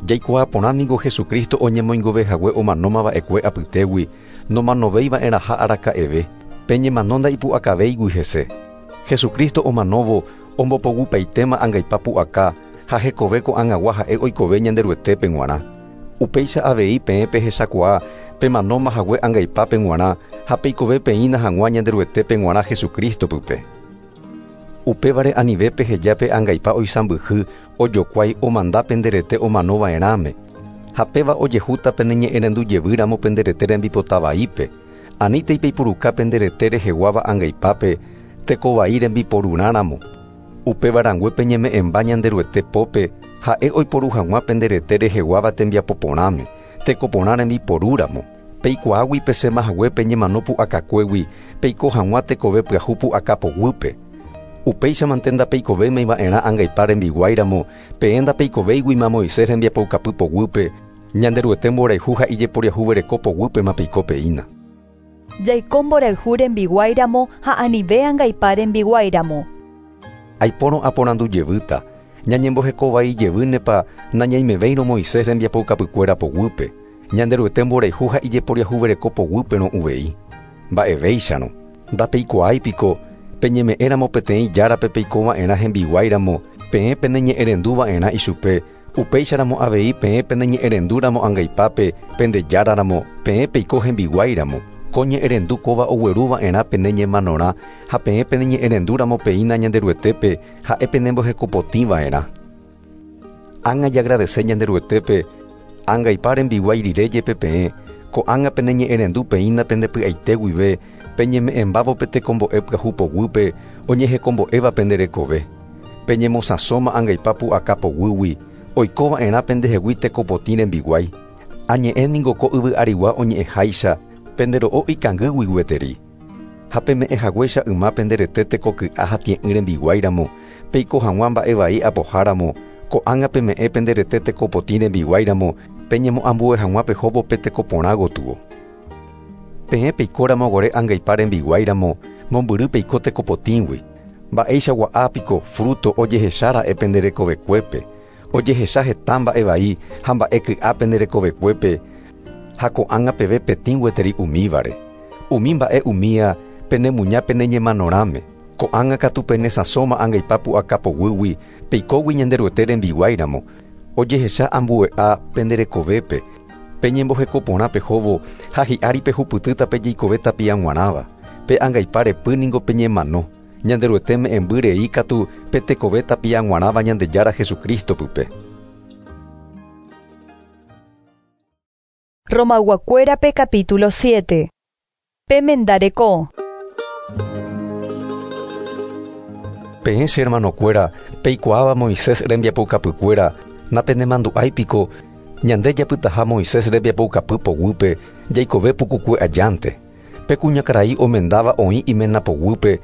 Jaikuaa porã ningo Jesucristo oñemoingovehague omanómava'ekue apytégui nomanovéiva'erãha araka'eve, pe ñemano ndaipu'akavéigui hese. Jesucristo omanóvo ombopogupaitéma angaipa pu'aka ha hekove ko'ag̃agua ha'e oikove Ñanderuetépe g̃uarã. Upéicha avei peẽ pehechakuaa pemanómahague angaipápe g̃uarã ha peikove peína hag̃ua Ñanderuetépe g̃uarã Jesucristo pype. Upévare anive peheja pe angaipa oisãmbyhy ojokuái omanda penderete omanova'erãme. Ha péva ojehúta peneñe'ẽrendu jevýramo penderete rembipota vaípe. Anítei peipuruka penderete reheguáva angaipápe tekovai rembiporurãramo. Upéva rangue peñeme'ẽmba Ñanderuete pópe ha'e oiporu hag̃ua penderete reheguáva tembiapo porãme, tekoporã rembiporúramo. Peikuaágui pesẽmahague peñemano pu'akakuégui peiko hag̃ua tekove pyahu pu'aka poguýpe. Upéichamante ndapeikovéimava'erã angaipa rembiguáiramo, peẽ ndapeikovéiguima Moisés rembiapoukapy poguýpe, Ñanderuete mborayhu ha ijeporiahuvereko poguýpema peiko peína. Jaiko mborayhu rembiguáiramo ha anive angaipa rembiguáiramo. Aipórõ aporandu jevýta, ñañembohekovai jevýnepa nañaimevéirõ Moisés rembiapoukapykuéra poguýpe, Ñanderuete mborayhu ha ijeporiahuvereko poguýperõ uvei. Mba'evéicharõ, ndapeikuaái piko peñeme'ẽramo peteĩ járape peikova'erã hembiguáiramo, peẽ peneñe'ẽrenduva'erã ichupe, upéicharamo avei peẽ peneñe'ẽrendúramo angaipápe pende járaramo, peẽ peiko hembiguáiramo. Ko ñe'ẽrendu kóva ogueruva'erã pene ñemanorã ha peẽ peneñe'ẽrendúramo peína Ñanderuetépe ha'e penembohekopotĩva'erã. Ág̃a jagradece Ñanderuetépe angaipa rembiguái rire jepe peẽ, ko'ág̃a peneñe'ẽrendu peína pendepy'aite guive peñeme'ẽmbávo pe tekombo'e pyahu poguýpe oñehekombo'éva pende rekove. Peñemosãsóma angaipa pu'aka poguýgui, oikova'erã pendehegui tekopotĩ rembiguái. Añe'ẽ ningo ko yvy arigua oñe'ẽháicha, pendero'o ikangýgui gueteri. Ha peme'ẽ haguéicha yma pende rete tekoky'a ha tie'ỹ rembiguáiramo, peiko hag̃ua mba'e vai apoháramo, ko'ág̃a peme'ẽ pende rete tekopotĩ rembiguáiramo, peñemoambue hag̃ua pehóvo pe tekoporã gotyo. Peẽ peikóramo guare angaipa rembiguáiramo, mombyry peiko tekopotĩgui. Mba'eichagua piko fruto ojehechára'e pende rekovekuépe, ojehecha heta mba'e vai ha mba'e ky'a pende rekovekuépe, ha ko'ág̃a peve petĩ gueteri umívare. Umi mba'e umía penemuña peneñemanorãme. Ko'ág̃a katu penesãsóma angaipa pu'aka poguýgui, peikógui Ñanderuete rembiguáiramo, ojehecha ambue'a pende rekovépe, peñemboheko porã pehóvo ha hi'ári pehupytýta pejeikove tapia g̃uarãva. Pe angaipa repy ningo peñemano, Ñanderuete me'ẽmby rei katu pe tekove tapia g̃uarãva Ñandejára Jesucristo pype. Romayguakuérape capítulo 7. Pemendareko. Peẽ che hermanokuéra, peikuaáva Moisés rembiapoukapykuéra, napenemandu'áipiko ñande japytaha Moisés rembiapoukapy poguýpe jaikove pukukue ajánte. Pe kuñakarai omendáva oĩ iména poguýpe,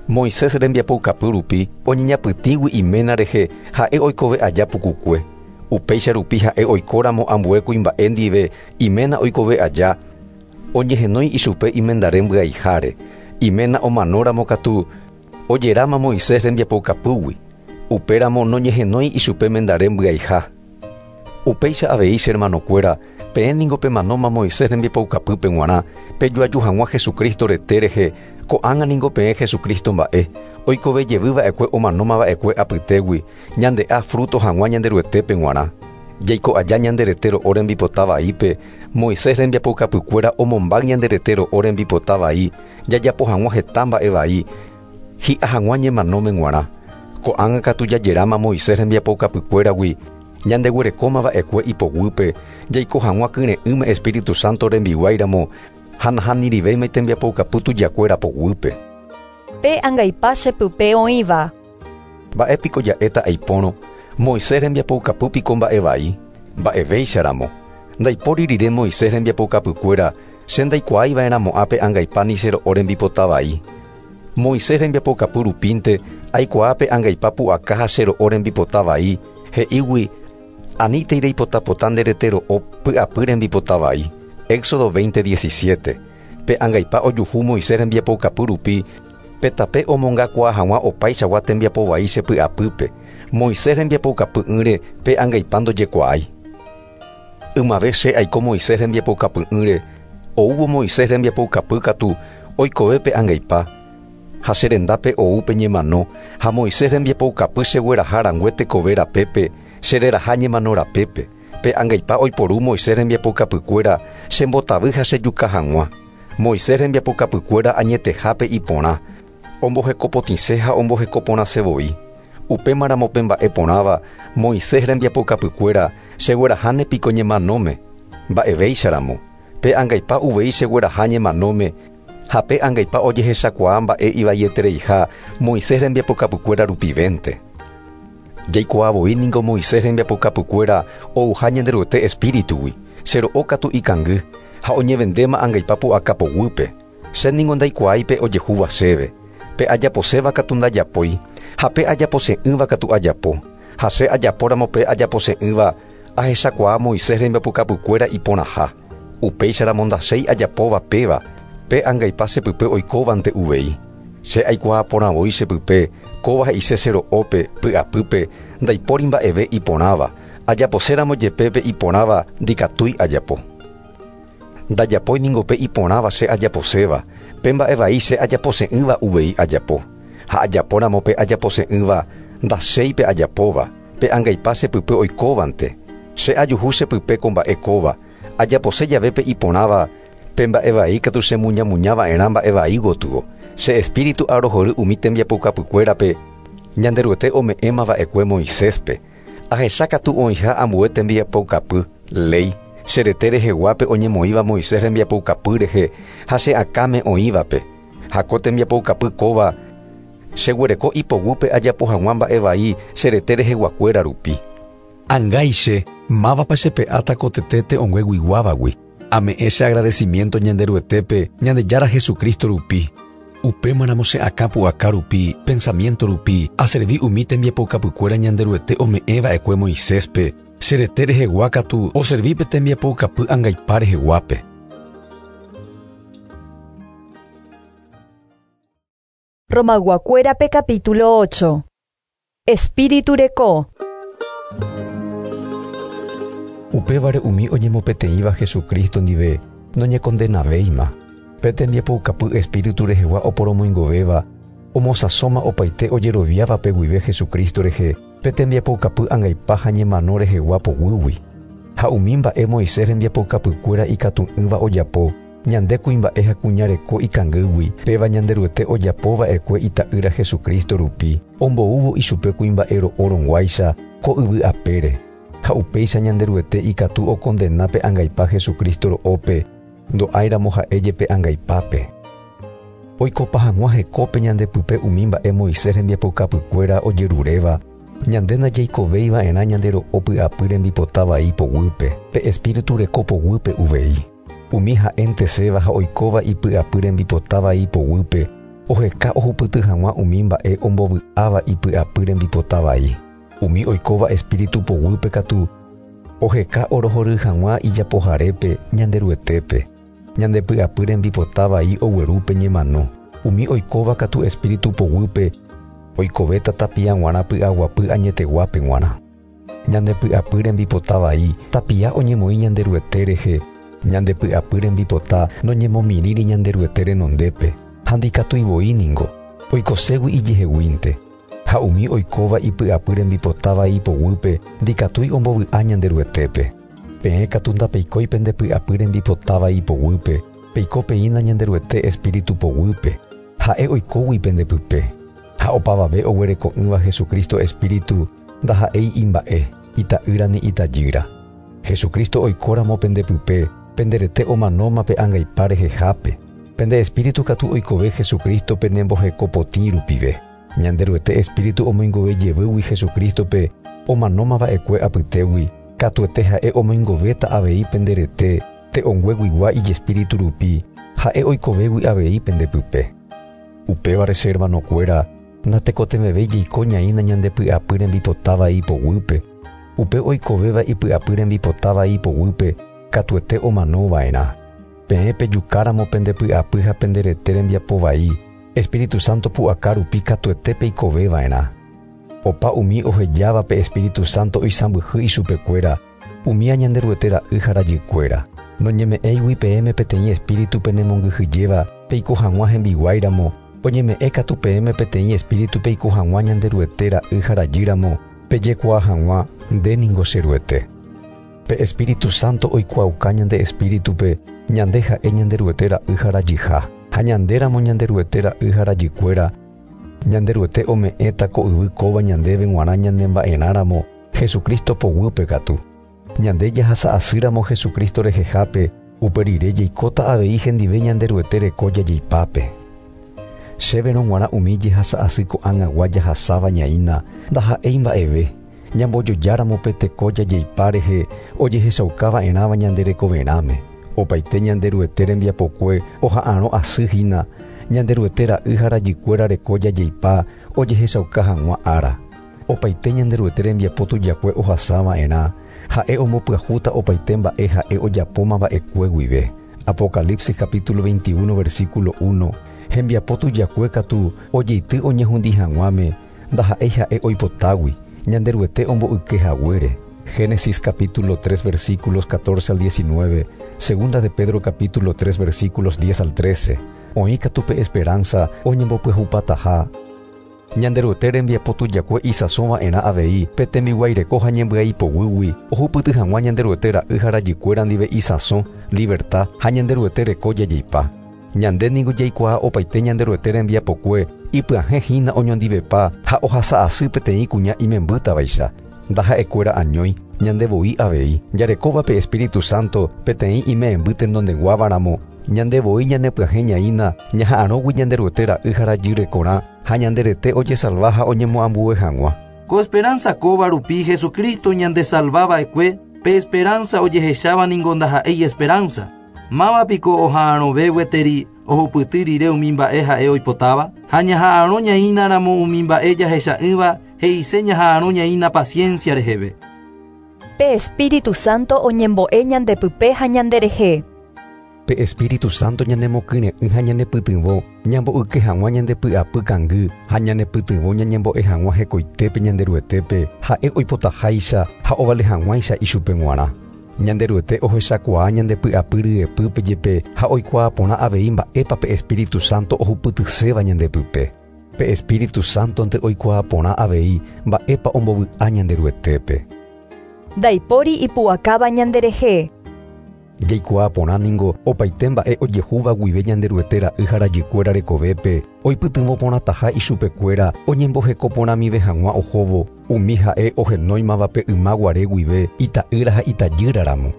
Moisés rembiapoukapy rupi oñeñapytĩgui iména rehe ha'e oikove aja pukukue. Upéicha rupi ha'e oikóramo ambue kuimba'e ndive iména oikove aja, oñehenói ichupe imendare mbyaiháre. Iména omanóramo katu ojeráma Moisés rembiapoukapýgui. Upéramo noñehenói ichupe mendare mbyaiha. Upéicha avei che hermanokuéra, peẽ ningo pemanóma Moisés rembiapoukapýpe g̃uarã, pejoaju hag̃ua Jesucristo rete rehe, ko'ág̃a ningo peẽ Jesucristo mba'e, oikove jevyva'ekue omanómava'ekue apytégui, ñande'a fruto hag̃ua Ñanderuetépe g̃uarã. Jaiko aja ñande rete ro'o rembipota vaípe, Moisés rembiapoukapykuéra omombáy ñande rete ro'o rembipota vai, jajapo hag̃ua heta mba'e vai, hi'a hag̃ua ñemanóme g̃uarã. Ko'ág̃a katu jajeráma Moisés rembiapoukapykuéragui, ñandeguerekómava'ekue ipoguýpe, jaiko hag̃ua kyre'ỹme Espíritu Santo rembiguáiramo, ha nahanirivéima tembiapoukapy tujakuéra poguýpe. Pe angaipa chepype oĩva. Mba'épiko ja'éta aipórõ, Moisés rembiapoukapy piko mba'e vai, mba'evéicharamo. Ndaipóri rire Moisés rembiapoukapykuéra, che ndaikuaáiva'erãmo'ã pe angaipa ni che ro'o rembipota vai. Moisés rembiapoukapy rupínte aikuaa pe angaipa pu'aka ha che ro'o rembipota vai, he'ígui anítei reipotapota nde rete ro'o py'apy rembipota vai. Éxodo 20:17. Pe angaipa ojuhu Moisés rembiapoukapy rupi, pe tape omongakuaa hag̃ua opaichagua tembiapo vai che py'apýpe. Moisés rembiapoukapy'ỹre pe angaipa ndojekuaái. Ymave che aiko Moisés rembiapoukapy'ỹre, oúvo Moisés rembiapoukapy katu oikove pe angaipa, ha che rendápe ou pe ñemano, ha Moisés rembiapoukapy chegueraha rangue tekove rapépe, chereraha ñemano rapépe. Pe angaipa oiporu Moisés rembiapoukapykuéra chembotavy ha chejuka hag̃ua. Moisés rembiapoukapykuéra añetehápe iporã, ombohekopotĩse ha ombohekoporãse voi. Upémaramo pe mba'e porãva Moisés rembiapoukapykuéra chegueraháne piko ñemanóme, mba'evéicharamo. Pe angaipa uvei chegueraha ñemanóme, ha pe angaipa ojehechakuaa mba'e ivaietereiha Moisés rembiapoukapykuéra rupivénte. Jaikuaa voi ningo Moisés rembiapoukapykuéra ouha Ñanderuete espíritugui, che ro'o katu ikangy, ha oñevendéma angaipa pu'aka poguýpe. Che ningo ndaikuaái pe ojehúva chéve. Pe ajaposéva katu ndajapói, ha pe ajapose'ỹva katu ajapo. Ha che ajapóramo pe ajapose'ỹva, ahechakuaa Moisés rembiapoukapykuéra iporãha. Upéicharamo ndachéi ajapóva péva, pe angaipa chepype oikóvante uvei. Che aikuaa porã voi chepype, kóva he'ise che ro'ópe, py'apýpe, ndaipóri mba'eve iporãva, ajaposéramo jepe pe iporãva ndikatúi ajapo. Ndajapói ningo pe iporãva che ajaposéva, pe mba'e vai che ajapose'ỹva uvei ajapo. Ha ajapóramo pe ajapose'ỹva, ndachéi pe ajapóva, pe angaipa chepype oikóvante. Che ajuhu chepype ko mba'e kóva, ajapose jave pe iporãva, pe mba'e vai katu chemuñamuñava'erã mba'e vai gotyo. Che espíritu arohory umi tembiapoukapykuérape, Ñanderuete ome'ẽmava'ekue Moiséspe. Ahecha katu oĩha ambue tembiapoukapy, léi, che rete reheguápe oñemoĩva Moisés rembiapoukapy rehe ha che akãme oĩvape. Ha ko tembiapoukapy kóva cheguereko ipoguýpe ajapo hag̃ua mba'e vai che rete reheguakuéra rupi. Angáiche, mávapa chepe'áta ko tete te'õngueguiguávagui. Ame'ẽ che agradecimiento Ñanderuetépe, Ñandejára Jesucristo rupi. Upémaramo che akã pu'aka rupi, pensamiento rupi, aservi umi tembiapoukapykuéra Ñanderuete ome'ẽva'ekue Moiséspe, che rete rehegua katu oservi pe tembiapoukapy angaipa reheguápe. Romayguakuérape capítulo 8. Espíritu reko. Upévare umi oñemopeteĩva Jesucristo ndive noñekondenavéima. Pe tembiapoukapy Espíritu rehegua oporomoingovéva, omosãsóma opaite ojeroviávape guive Jesucristo rehe pe tembiapoukapy angaipa ha ñemano rehegua poguýgui. Ha umi mba'e Moisés rembiapoukapykuéra ikatu'ỹva ojapo, ñande kuimba'e ha kuña reko ikangýgui, péva Ñanderuete ojapo va'ekue ita'ýra Jesucristo rupi, omboúvo ichupe kuimba'e ro'o rõguáicha ko yvy apére. Ha upéicha Ñanderuete ikatu okondena pe angaipa Jesucristo ro'ópe, ndo'áiramo ha'e jepe angaipápe. Oikopa hag̃ua hekópe ñande pype umi mba'e Moisés rembiapoukapykuéra ojeruréva, ñande ndajaikovéi va'erã ñande ro'o py'apy rembipota vai poguýpe, pe Espíritu reko poguýpe uvei. Umi ha'enteséva ha oikóva ipy'apy rembipota vai poguýpe, oheka ohupyty hag̃ua umi mba'e ombovy'áva ipy'apy rembipota vai. Umi oikóva Espíritu poguýpe katu, oheka orohory hag̃ua ijapoharépe, Ñanderuetépe. Ñande py'apy rembipota vai ogueru pe ñemano. Umi oikóva katu Espíritu poguýpe, oikovéta tapia g̃uarã py'aguapy añeteguápe g̃uarã. Ñande py'apy rembipota vai tapia oñemoĩ Ñanderuete rehe, ñande py'apy rembipota noñemomirĩri Ñanderuete renondépe, ha ndikatúi voi ningo, oikoségui ijeheguínte. Ha umi oikóva ipy'apy rembipota vai poguýpe ndikatúi ombovy'a Ñanderuetépe. Peẽ katu ndapeikói pende py'apy rembipota vai poguýpe, peiko peína Ñanderuete Espíritu poguýpe, ha'e oikógui pende pype. Ha opavave oguereko'ỹva Jesucristo Espíritu ndaha'éi imba'e, ita'ýra ni itajýra. Jesucristo oikóramo pende pype, pende rete omanóma pe angaipa rehehápe. Pende espíritu katu oikove Jesucristo penemboheko potĩ rupive. Ñanderuete Espíritu omoingove jevýgui Jesucristo-pe omanóma va'ekue apytégui, katuete ha'e omoingovéta avei pende rete te'õngueguigua ijespíritu rupi, ha'e oikovégui avei pende pype. Upévare che hermanokuéra, natekotevẽvéi jaiko ñaína ñande py'apy rembipota vai poguýpe. Upe oikovéva ipy'apy rembipota vai poguýpe katuete omano va'erã. Peẽ pejukáramo pende py'apy ha pende rete rembiapo vai, Espíritu Santo pu'aka rupi katuete peikove va'erã. Opa umi ohejáva pe Espíritu Santo oisãmbyhy ichupekuéra, umía Ñanderuete ra'y ha rajykuéra. Noñeme'ẽigui peẽme peteĩ espíritu penemongyhyjéva peiko hag̃ua hembiguáiramo, oñeme'ẽ katu peẽme peteĩ espíritu peiko hag̃ua Ñanderuete ra'y ha rajýramo, pejekuaa hag̃ua, Nde ningo che Ruete. Pe Espíritu Santo oikuaauka ñande espíritupe ñande ha'e Ñanderuete ra'y ha rajyha. Ha ñandéramo Ñanderuete ra'y ha rajykuéra, Ñanderuete ome'ẽta ko yvy kóva ñandéve g̃uarã ñanemba'erãramo Jesucristo poguýpe katu. Ñande jahasa asýramo Jesucristo rehehápe, upe rire jaikóta avei hendive Ñanderuete reko jajeipápe. Chéverõ g̃uarã umi jehasa asy ko'ág̃agua jahasáva ñaína ndaha'éi mba'eve, ñambojojáramo pe teko jajeipa rehe ojehechauka va'erãva ñande rekoverãme. Opaite Ñanderuete rembiapokue oha'arõ asy hína, Ñanderuete ra'y ha rajykuéra reko jajeipa ojehechauka hag̃ua ára. Opaite Ñanderuete rembiapo tujakue ohasa va'erã, ha'e ombopyahúta opaite mba'e ha'e ojapóma va'ekue guive. Apocalipsis capítulo 21 versículo 1, Hembiapo tujakue katu ojeity oñehundi hag̃uáme, ndaha'éi ha'e oipotágui, Ñanderuete omboyke haguére. Génesis capítulo 3 versículos 14 al 19, Segunda de Pedro capítulo 3 versículos 10 al 13. Oĩ katu pe esperanza oñembopyahupataha. Ñanderuete rembiapo tujakue isãso va'erã avei pe tembiguaireko ha ñembyai poguýgui ohupyty hag̃ua Ñanderuete ra'y ha rajykuéra ndive isãso, liberta, ha Ñanderuete reko jajeipa. Ñande ningo jaikuaa opaite Ñanderuete rembiapokue ipyahẽ hína oñondivepa ha ohasa asy peteĩ kuña imembýtavaicha. Ndaha'ekuéra añói, ñande voi avei, jarekóva pe Espíritu Santo peteĩ ime'ẽmby tenondeguávaramo, ñande voi ñanepyahẽ ñaína ñaha'arõgui Ñanderuete ra'y ha rajy rekorã ha ñande rete ojesalva ha oñemoambue hag̃ua. Ko esperanza kóva rupi Jesucristo ñandesalva va'ekue, pe esperanza ojehecháva ningo ndaha'éi esperanza. Máva piko oha'arõve gueteri ohupyty rire umi mba'e ha'e oipotáva? Ha ñaha'arõ ñaínaramo umi mba'e jahecha'ỹva he'ise ñaha'arõ ñaína paciencia reheve. Pe Espíritu Santo oñembo'e ñandepype ha ñanderehe. Pe Espíritu Santo ñanemokyre'ỹ ha ñanepytyvõ ñamboyke hag̃ua ñandepy'apy kangy ha ñanepytyvõ ñañembo'e hag̃ua hekoitépe Ñanderuetépe ha'e oipotaháicha ha ovale hag̃uáicha ichupe g̃uarã. Ñanderuete ohechakuaa ñandepy'apy ryepýpe jepe ha oikuaa porã avei mba'épa pe Espíritu Santo ohupytyséva ñandepype. Pe Espíritu Santo-nte oikuaa porã avei mba'épa ombovy'a Ñanderuetépe. Ndaipóri ipu'akáva ñanderehe. Jaikuaa porã ningo opaite mba'e ojehúva guive Ñanderuete ra'y ha rajykuéra rekovépe oipytyvõ porãtaha ichupekuéra oñemboheko porãmive hag̃ua ohóvo umi ha'e ohenóimavape yma guare guive ita'ýra ha itajýraramo.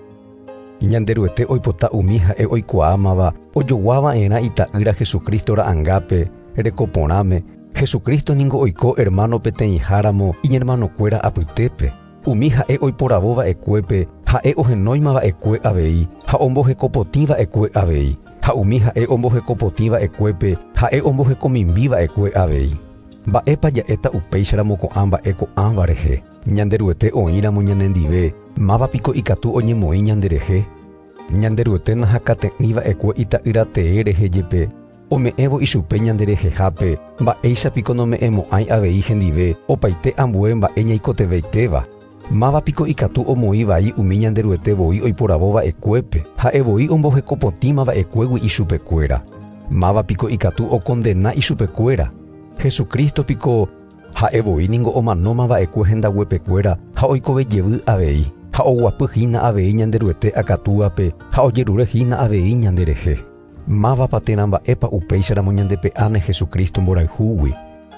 Ñanderuete oipota umi ha'e oikuaámava ojoguava'erã ita'ýra Jesucristo ra'angápe rekoporãme. Jesucristo ningo oiko hermano peteĩháramo iñermanokuéra apytépe. Umi ha'e oiporavo va'ekuépe ha'e ohenóima va'ekue avei ha ombohekopotĩ va'ekue avei. Ha umi ha'e ombohekopotĩ va'ekuépe ha'e ombohekomimbi va'ekue avei. Mba'épa ja'éta upéicharamo ko'ã mba'e ko'ãva rehe. Ñanderuete oĩramo ñanendive, mávapiko ikatu oñemoĩ ñanderehe. Ñanderuete nahakate'ỹ va'ekue ita'ýra tee rehe jepe ome'ẽvo ichupe ñanderehehápe mba'éichapiko nome'ẽmo'ãi avei hendive opaite ambue mba'e ñaikotevẽitéva. Mávapiko ikatu omoĩ vai umi Ñanderuete voi oiporavo va'ekuépe ha'e voi ombohekopotĩma va'ekuégui ichupekuéra. Mávapiko ikatu okondena ichupekuéra. Jesucristo piko ha'e voi ningo omanóma va'ekue hendaguepekuéra ha oikove jevy avei ha oguapy hína avei Ñanderuete akatúape ha ojerure hína avei ñanderehe. Mávapa térã mba'épa upéicharamo ñandepe'áne Jesucristo mborayhúgui.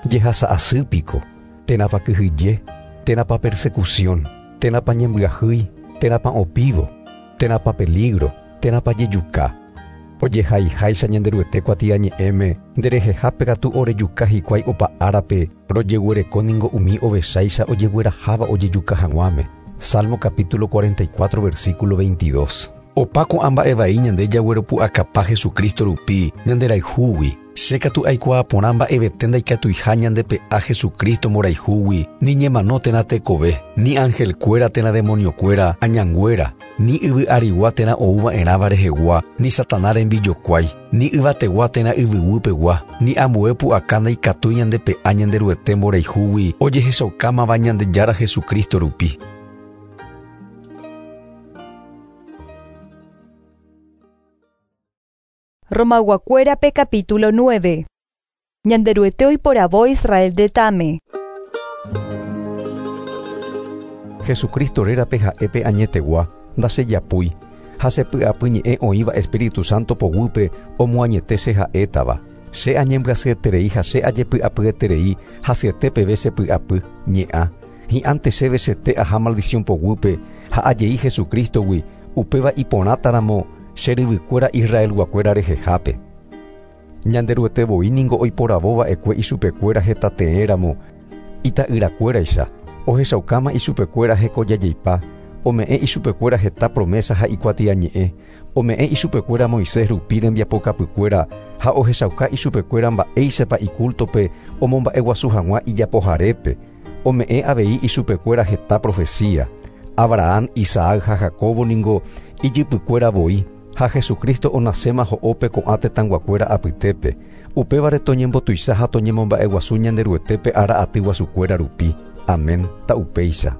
Jehasa asy piko, térãpa kyhyje, térãpa persecución, térãpa ñembyahýi, térãpa opívo, térãpa peligro, térãpa jejuka. Ojehaiháicha Ñanderuete kuatiañe'ẽme nderehehápe katu orejuka hikuái opa árape rojeguereko ningo umi ovecháicha ojegueraháva ojejuka hag̃uáme. Salmo capítulo 44 versículo 22. Opa ko'ã mba'e vai ñande jagueropu'akapa Jesucristo rupi ñanderayhúgui. Che katu aikuaa porã mba'evete ndaikatuiha ñandepe'a Jesucristo mborayhúgui, ni ñemano térã tekove, ni angelkuéra térã demoniokuéra, añanguéra, ni yvy arigua térã ouva'erãva rehegua, ni Satanás rembijokuái, ni yvategua térã yvyguýpegua, ni ambue pu'aka ndaikatúi ñandepe'a Ñanderuete mborayhúgui ojehechaukámava Ñandejára Jesucristo rupi. Romaguakuérape capítulo 9. Ñanderuete oiporavo Israel retãme. Jesucristo rérape ha'épe añetegua, ndachejapúi, ha chepy'apyñe'ẽ oĩva Espíritu Santo poguýpe omoañete che ha'étava. Che añembyasyeterei ha che ajepy'apyeterei hasyete peve chepy'apy, ñe'ã. Hi'ãnte chéve chete aha maldición poguýpe ha ajei Jesucristogui, upéva iporãtaramo che ryvykuéra Israelguakuéra rehehápe. Ñanderuete voi ningo oiporavo va'ekue ichupekuéra hetateéramo ita'yrakuéraicha, ohechaukáma ichupekuéra hekojajeipa, ome'ẽ ichupekuéra heta promesa ha ikuatiañe'ẽ, ome'ẽ ichupekuéra Moisés rupi rembiapokapykuéra ha ohechauka ichupekuéra mba'éichapa icultope omomba'eguasu hag̃ua ijapoharépe, ome'ẽ avei ichupekuéra heta profecía. Abraham, Isaac ha Jacobo ningo ijypykuéra voi ha Jesucristo onaséma ho'ópe ko'ã tetãnguakuéra apytépe. Upévare toñembotuicha ha toñemomba'eguasu Ñanderuetépe ára aty guasukuéra rupi. Amén. Ta'upéicha.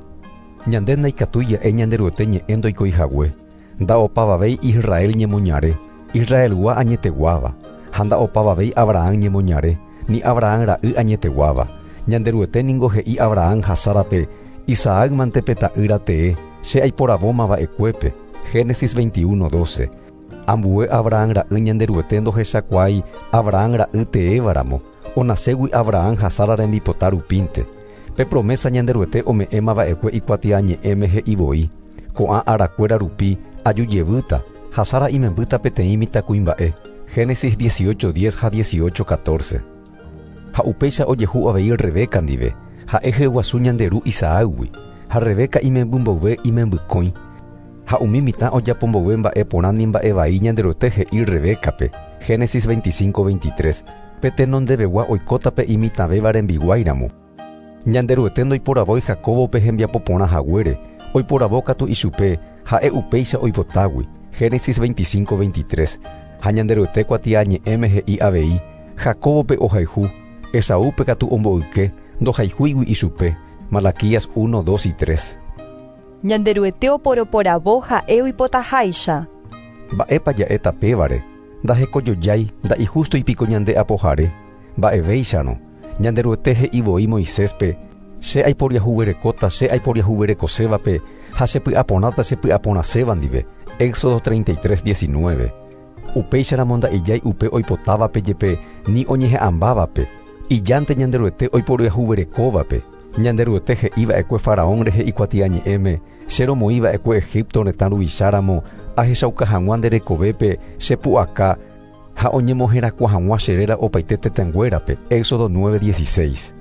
Ñande ndaikatúi ja'e Ñanderuete ñe'ẽ ndoikoihague. Nda'opavavéi Israel ñemoñare, Israelgua añeteguáva, ha nda'opavavéi Abraham ñemoñare, ni Abraham ra'y añeteguáva. Ñanderuete ningo he'i Abraham ha Sárape, Isaac mante pe ta'ýra tee, che aiporavóma va'ekuépe. Génesis 21:12. Ambue Abraham ra'y Ñanderuete ndohechakuaái Abraham ra'y teévaramo, onaségui Abraham ha Sara rembipota rupínte. Pe promesa Ñanderuete ome'ẽma va'ekue ikuatiañe'ẽme he'i voi, ko'ã arakuéra rupi aju jevýta ha Sara imembýta peteĩ mitãkuimba'e. Génesis 18:10 ha 18:14. Ha upéicha ojehu avei Rebeca ndive, ha'e hyeguasu Ñanderu Isaágui, ha Rebeca imemby mboyve imembykõi. Ha umi mitã ojapo mboyve mba'e porã ni mba'e vai Ñanderuete he'i Rebécape, Génesis 25, 23, pe tenondevegua oikóta pe imitãvéva rembiguáiramo. Ñanderuete ndoiporavói Jacóbope hembiapo porã haguére, oiporavo katu ichupe, ha'e upéicha oipotágui, Génesis 25, 23. Ha Ñanderuete kuatiañe'ẽme he'i avei, Jacóbope ohayhu, Esaúpe katu omboyke, ndohayhúigui ichupe, Malaquías 1, 2 y 3. Ñanderuete oporoporavo ha'e oipotaháicha. Mba'épa ja'éta pévare, ndahekojojái nda'ijústoipiko ñande apohare, mba'evéicharõ, Ñanderuete he'i voi Moiséspe, che aiporiahuverekóta che aiporiahuverekosévape ha chepy'aporãta chepy'aporãséva ndive, Éxodo 33, 19. Upéicharamo nda'ijái upe oipotávape jepe ni oñeha'ãmbávape, ijánte Ñanderuete oiporiahuverekóvape. Ñanderuete he'iva'ekue Faraón rehe ikuatiañe'ẽme, che romoĩva'ekue Egipto retã ruvicháramo ahechauka hag̃ua nde rekovépe chepu'aka ha oñemoherakuã hag̃ua che réra opaite tetãnguérape, Éxodo 9, 16.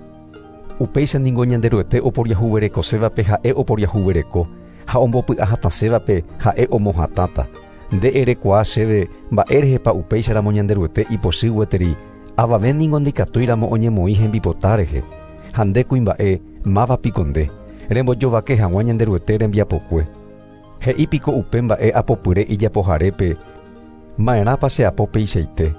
Upéicha ningo Ñanderuete oporiahuverekosévape ha'e oporiahuvereko ha ombopy'ahatãsévape ha'e omohatãta. Nde erekuaa chéve mba'érehepa upéicharamo Ñanderuete ipochy gueteri, avave ningo ndikatúiramo oñemoĩ hembipota rehe. Ha nde kuimba'e, máva piko nde, rembojovake hag̃ua Ñanderuete rembiapokue. He'i piko upe mba'e apopyre ijapoharépe, ma'erãpa cheapo peichaite.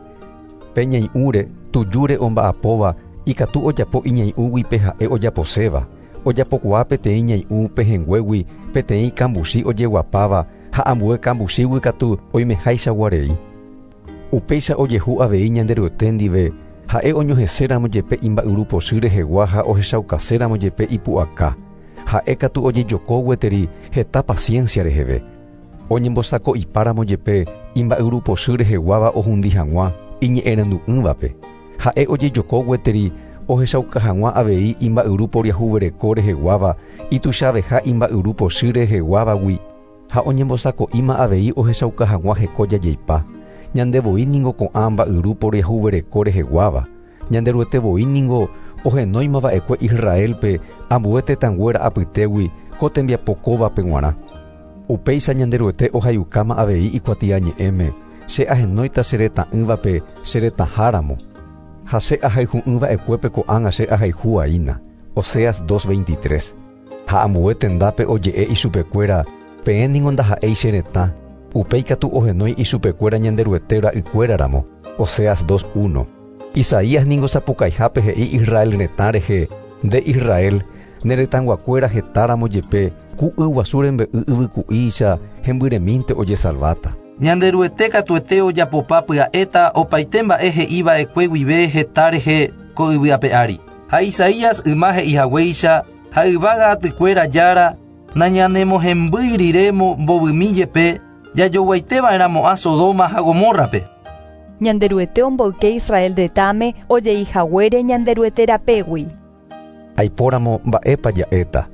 Pe ñai'ũre, tujúre omba'apóva, ikatu ojapo iñai'ũgui pe ha'e ojaposéva. Ojapokuaa peteĩ ñai'ũ pehẽnguégui peteĩ kambuchi ojeguapáva ha ambue kambuchígui katu oimeháichagua rei. Upéicha ojehu avei Ñanderuete ndive, ha'e oñoheséramo jepe imba'yru pochy rehegua ha ohechaukaséramo jepe ipu'aka. Ha'e katu ojejoko gueteri heta paciencia reheve. Oñembosako'ipáramo jepe imba'yru pochy reheguáva ohundi hag̃ua iñe'ẽrendu'ỹvape. Ha'e ojejoko gueteri ohechauka hag̃ua avei imba'yru poriahuvereko reheguáva ituichaveha imba'yru pochy reheguávagui ha oñembosako'íma avei ohechauka hag̃ua heko jajeipa. Ñande voi ningo ko'ã mba'yru poriahuvereko reheguáva. Ñanderuete voi ningo ohenóimava'ekue Israelpe ambue tetãnguéra apytégui ko tembiapo kóvape g̃uarã. Upéicha Ñanderuete ohayukáma avei ikuatiañe'ẽme, che ahenóita che retã'ỹvape che retãháramo. Ha che ahayhu'ỹva'ekuépe ko'ág̃a che ahayhu'aína. Oseas 2.23. Ha ambue tendápe oje'e ichupekuéra, peẽ ningo ndaha'éi che retã, upéi katu ohenói ichupekuéra Ñanderuete ra'ykuéraramo. Oseas 2.1. Isaías ningo sapukaihápe he'i Israel retã rehe, nde Israel, ne retãnguakuéra hetáramo jepe, ku yguasu rembe'y yvyku'ícha hembyremínte ojesalváta. Ñanderuete katuete ojapopa pya'éta opaite mba'e he'iva'ekue guive heta rehe ko yvy ape ári. Ha Isaías yma he'ihaguéicha ha yvága atykuéra jára nañanemohembýi riremo mbovymi jepe jajoguaiteva'erãmo'ã Sodoma ha Gomorrape. Ñanderuete omboyke Israel retãme ojeihaguére Ñanderuete rapégui. Aipóramo mba'épa ja'éta.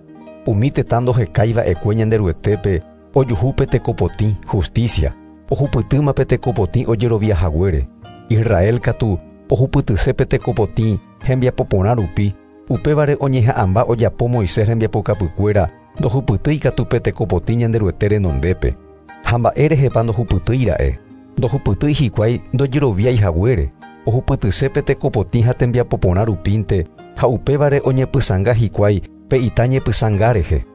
Umi tetã ndohekaiva'ekue Ñanderuetépe ojuhúpe tekopotĩ, justicia, ohupytýma pe tekopotĩ ojeroviahaguére. Israel katu ohupytyse pe tekopotĩ hembiapo porã rupi, upévare oñeha'ãmba ojapo Moisés rembiapokapykuéra ndohupytýi katu pe tekopotĩ Ñanderuete renondépe. Ha mba'érehepa ndohupytýira'e. Ndohupytýi hikuái ndojeroviái haguére, ohupytyse pe tekopotĩ ha tembiapo porã rupínte ha upévare oñepysãnga hikuái pe ita ñepysãnga rehe.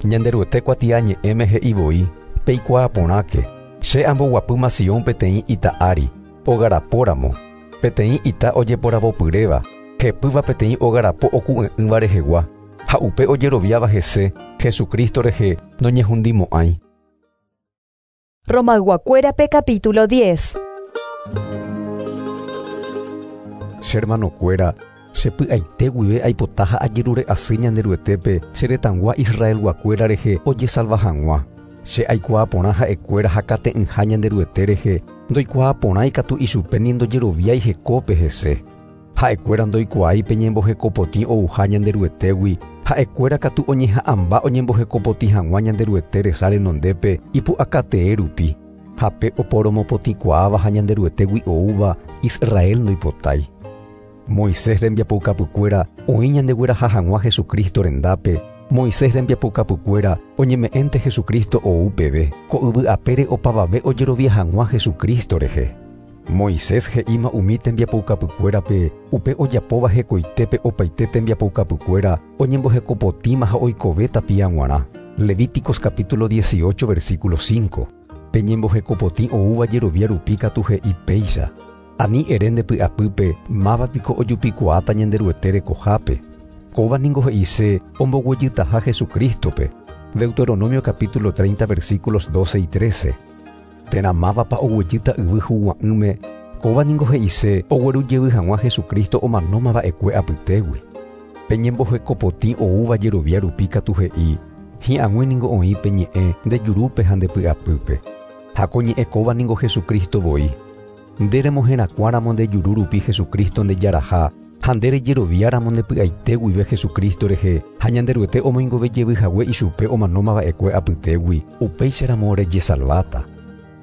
Ñanderuete kuatiañe'ẽme he'i voi, peikuaa porãke, che amboguapýma Sion peteĩ ita ári, ogarapóramo, peteĩ ita ojeporavopyréva, hepýva peteĩ ogarapo oku'e'ỹva rehegua, ha upe ojeroviáva hese, Jesucristo rehe noñehundimo'ãi. Romayguakuérape capítulo 10. Che hermanokuéra, chepy'aite guive aipota ha ajerure asy Ñanderuetépe che retãgua Israelguakuéra rehe ojesalva hag̃ua. Che aikuaa porã ha'ekuéra hakate'ỹha Ñanderuete rehe, ndoikuaa porãi katu ichupe ni ndojeroviái hekópe hese. Ha'ekuéra ndoikuaái pe ñembohekopotĩ ouha Ñanderuetégui, ha'ekuéra katu oñeha'ãmba oñembohekopotĩ hag̃ua Ñanderuete resa renondépe ipu'akatee rupi. Ha pe oporomopotĩkuaáva ha Ñanderuetégui oúva Israel ndoipotái. Moisés rembiapoukapykuéra oĩ ñandegueraha hag̃ua Jesucristo rendápe, Moisés rembiapoukapykuéra oñeme'ẽnte Jesucristo ou peve, ko yvy apére opavave ojerovia hag̃ua Jesucristo rehe. Moisés he'íma umi tembiapoukapykuérape upe ojapóva hekoitépe opaite tembiapoukapykuéra oñembohekopotĩma ha oikove tapia g̃uarã. Levíticos capítulo 18 versículo 5. Pe ñembohekopotĩ oúva jerovia rupi katu he'i péicha. Ani ere nde py'apýpe máva piko ojupikuaáta Ñanderuete rekohápe. Kóva ningo he'ise omboguejytaha Jesucristo-pe. Deuteronomio capítulo 30 versículos 12 y 13. Térã mávapa oguejýta yvy hugua'ỹme, kóva ningo he'ise oguerujevy hag̃ua Jesucristo omanóma va'ekue apytégui. Pe ñembohekopotĩ oúva jerovia rupi katu he'i, hi'ag̃ui ningo oĩ pe ñe'ẽ nde jurúpe ha nde py'apýpe. Ha ko ñe'ẽ kóva ningo Jesucristo voi. Nde remoherakuãramo nde juru rupi Jesucristo nde jaraha, ha nde rejeroviáramo nde py'aite guive Jesucristo rehe ha Ñanderuete omoingove jevy hague ichupe omanóma va'ekue apytégui, upéicharamo rejesalváta.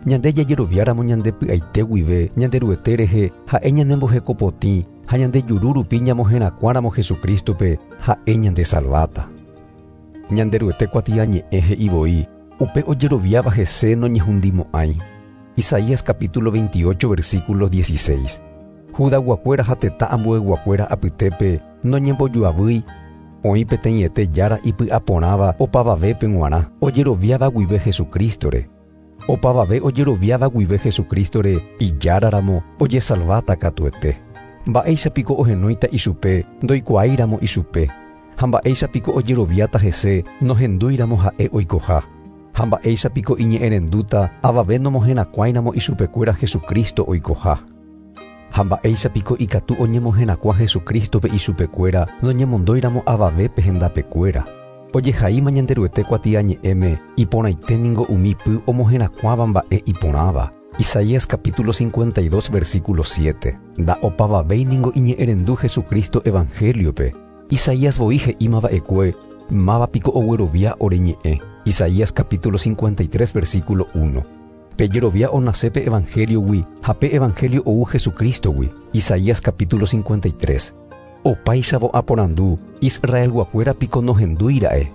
Ñande jajeroviáramo ñande py'aite guive Ñanderuete rehe ha'e ñanembohekopotĩ ha ñande juru rupi ñamoherakuãramo Jesucristo-pe, ha'e ñandesalváta. Ñanderuete kuatiañe'ẽ he'i voi, upe ojeroviáva hese noñehundimo'ãi. Isaías capítulo 28 versículo 16. Judayguakuéra ha tetã ambueyguakuéra apytépe noñembojoavýi, oĩ peteĩete jára ipy'aporãva opavavépe g̃uarã ojeroviáva guive Jesucristo-re. Opavave ojeroviáva guive Jesucristo-re ijáraramo ojesalváta katuete. Mba'éicha piko ohenóita ichupe ndoikuaáiramo ichupe, ha mba'éicha piko ojeroviáta hese nohendúiramo ha'e oikoha, ha mba'éicha piko iñe'ẽrendúta avave nomoherakuãiramo ichupekuéra Jesucristo oikoha. Ha mba'éicha piko ikatu oñemoherakuã Jesucristo-pe ichupekuéra noñemondóiramo avavépe hendapekuéra. Ojehaíma Ñanderuete kuatiañe'ẽme iporãite ningo umi py omoherakuãva mba'e iporãva. Isaías capítulo 52 versículo 7. Nda'opavavéi ningo iñe'ẽrendu Jesucristo evangelio-pe. Isaías voi he'íma va'ekue máva piko oguerovia ore ñe'ẽ. Isaías capítulo 53 versículo 1. Pe jerovia onase pe evangelio-gui ha pe evangelio ou Jesucristo-gui. Isaías capítulo 53. Opáichavo aporandu Israelguakuéra piko nohendúira'e.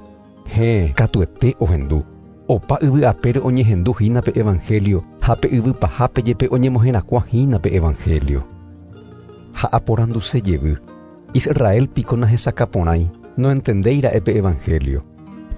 Héẽ, katuete ohendu. Opa yvy apére oñehendu hína pe evangelio ha pe yvy pahápe jepe oñemoherakuã hína pe evangelio. Ha aporanduse jevy. Israel piko nahesakãporãi, noentendéira'e pe evangelio.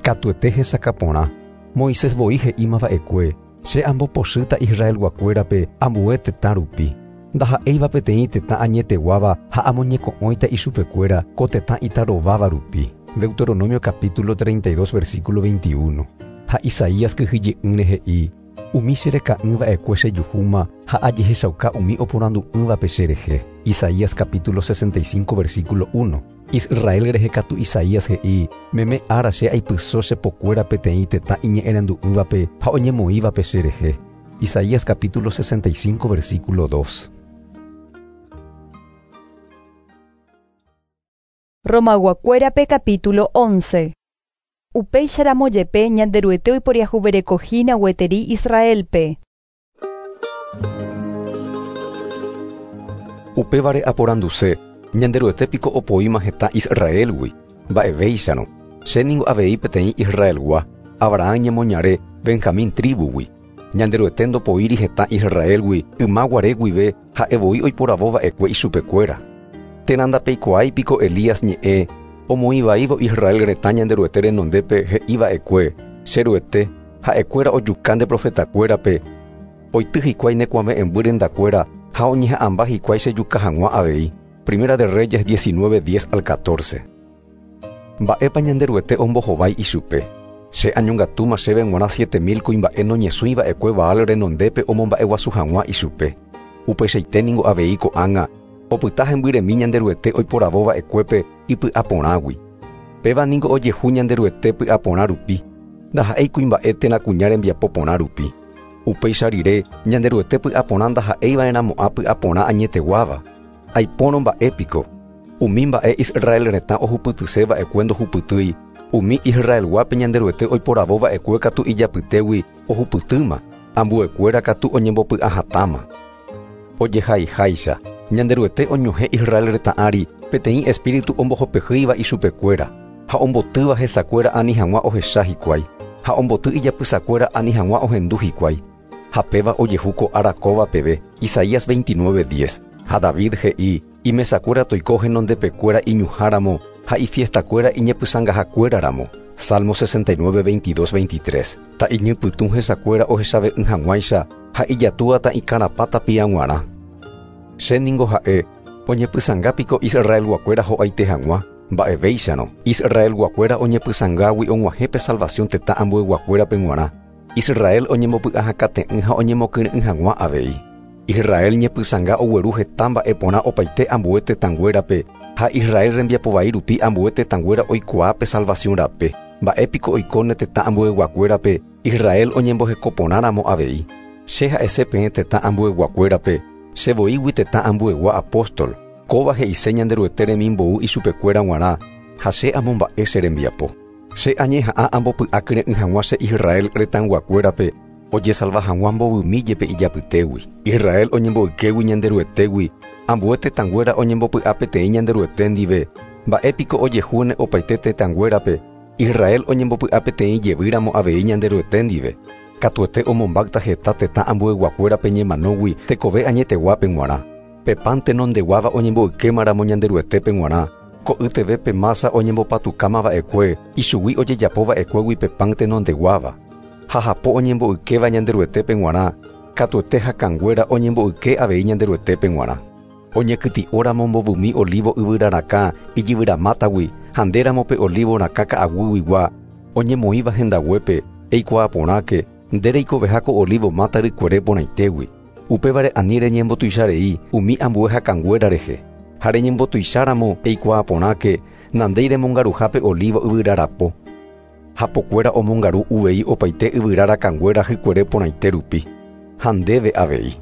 Katuete hesakãporã. Moisés voi he'íma va'ekue, che ambopochýta Israelguakuérape ambue tetã rupi. Ndaha'éiva peteĩ tetã añeteguáva ha amoñeko'õita ichupekuéra ko tetã itarováva rupi. Deuteronomio capítulo 32 versículo 21. Ha Isaías kyhyje'ỹre he'i, umi chereka'ỹ va'ekue chejuhúma ha ajehechauka umi oporandu'ỹvape cherehe. Isaías capítulo 65 versículo 1. Israel rehe katu Isaías he'i, meme ára che aipyso chepokuéra peteĩ tetã iñe'ẽrendu'ỹvape ha oñemoĩvape cherehe. Isaías capítulo 65 versículo 2. Romayguakuérape capítulo 11. Upéicharamo jepe Ñanderuete oiporiahuverekohína gueteri Israelpe. Upévare aporanduse, Ñanderuete piko opoíma hetã Israelgui, mba'evéicharõ. Che ningo avei peteĩ Israelgua, Abraham ñemoñare Benjamín tribugui. Ñanderuete ndopoíri hetã Israelgui yma guare guive ha'e voi oiporavo va'ekue ichupekuéra. Térã ndapeikuaái piko Elías ñe'ẽ omoĩvaívo Israel retã Ñanderuete renondépe he'i va'ekue, che Ruete, ha'ekuéra ojuka nde profetakuérape, oity hikuái ne kuave'ẽmby rendakuéra ha oñeha'ãmba hikuái chejuka hag̃ua avei. Primera de Reyes 19, 10 al 14. Mba'épa Ñanderuete ombohovái ichupe. Che añongatúma chéve g̃uarã 7000 kuimba'e noñesũi va'ekue Baal renondépe omomba'eguasu hag̃ua ichupe. Upeichaite ningo avei ko'ág̃a opyta hembyremi Ñanderuete oiporavo va'ekuépe ipy'aporãgui. Péva ningo ojehu Ñanderuete py'aporã rupi, ndaha'éi kuimba'e térã kuña rembiapo porã rupi. Upéicha rire Ñanderuete py'aporã ndaha'eiva'erãmo'ã py'aporã añeteguáva. Aipórõ mba'e piko. Umi mba'e Israel retã ohupytyse va'ekue ndohupytýi, umi Israelguápe Ñanderuete oiporavo va'ekue katu ijapytégui ohupytýma, ambuekuéra katu oñembopy'ahatãma. Ojehaiháicha, Ñanderuete oñohẽ Israel retã ári peteĩ espíritu ombohopehýiva ichupekuéra. Ha ombotýva hesakuéra ani hag̃ua ohecha hikuái, ha omboty ijapysakuéra ani hag̃ua ohendu hikuái. Ha péva ojehu ko ára kóva peve. Isaías 29:10. Ha David he'i, Imesakuéra toiko henondepekuéra iñuháramo ha ifiestakuéra iñepysãngahakuéraramo. Salmo 69, 22, 23. Ta'iñypytũ hesakuéra ohechave'ỹ hag̃uáicha ha ijatúa ta'ikarapã tapia g̃uarã. Che ningo ha'e, oñepysãnga piko Israelguakuéra ho'aite hag̃ua? Mba'evéicharõ, Israelguakuéra oñepysãngágui og̃uahẽ pe salvación tetã ambueguakuérape g̃uarã. Israel oñembopy'ahakate'ỹ ha oñemokyre'ỹ hag̃ua avei. Israel ñepysãnga ogueru heta mba'e porã opaite ambue tetãnguérape ha Israel rembiapo vai rupi ambue tetãnguéra oikuaa pe salvación rape. Mba'e piko oikóne tetã ambueguakuérape Israel oñemboheko porãramo avei. Che ha'ese peẽ tetã ambueguakuérape, che voígui tetã ambuegua apóstol, kóva he'ise Ñanderuete remimbou ichupekuéra g̃uarã ha che amomba'e che rembiapo. Che añeha'ã ambopy'akyre'ỹ hag̃ua che Israel retãyguakuérape ojesalva hag̃ua mbovymi jepe ijapytégui. Israel oñemboykégui Ñanderuetégui, ambue tetãnguéra oñembopy'a peteĩ Ñanderuete ndive, mba'e piko ojehúne opaite tetãnguérape, Israel oñembopy'a peteĩ jevýramo avei Ñanderuete ndive. Katuete omombáyta heta tetã ambueyguakuérape ñemanógui tekove añeteguápe g̃uarã. Pe pan tenondeguáva oñemboykémaramo Ñanderuetépe g̃uarã, ko'yteve pe mása oñembopatukáma va'ekue, ichugui ojejapo va'ekuégui pe pan tenondeguáva. Ha hapo oñemboykéva Ñanderuetépe g̃uarã, katuete hakãnguéra oñemboyke avei Ñanderuetépe g̃uarã. Oñekytĩ'óramo mbovymi olívo yvyra rakã ijyvyramátagui ha ndéramo pe olívo rakã ka'aguyguigua oñemoĩva hendaguépe, eikuaa porãke, nde reikoveha ko olívo máta rykuere porãitégui. Upévare ani reñembotuicharei umi ambue hakãnguéra rehe. Ha reñembotuicháramo eikuaa porãke, nandéi remongaruha pe olívo yvyra rapo. Hapokuéra omongaru uvei opaite yvyra rakãnguéra hykuere porãite rupi. Ha ndéve avei.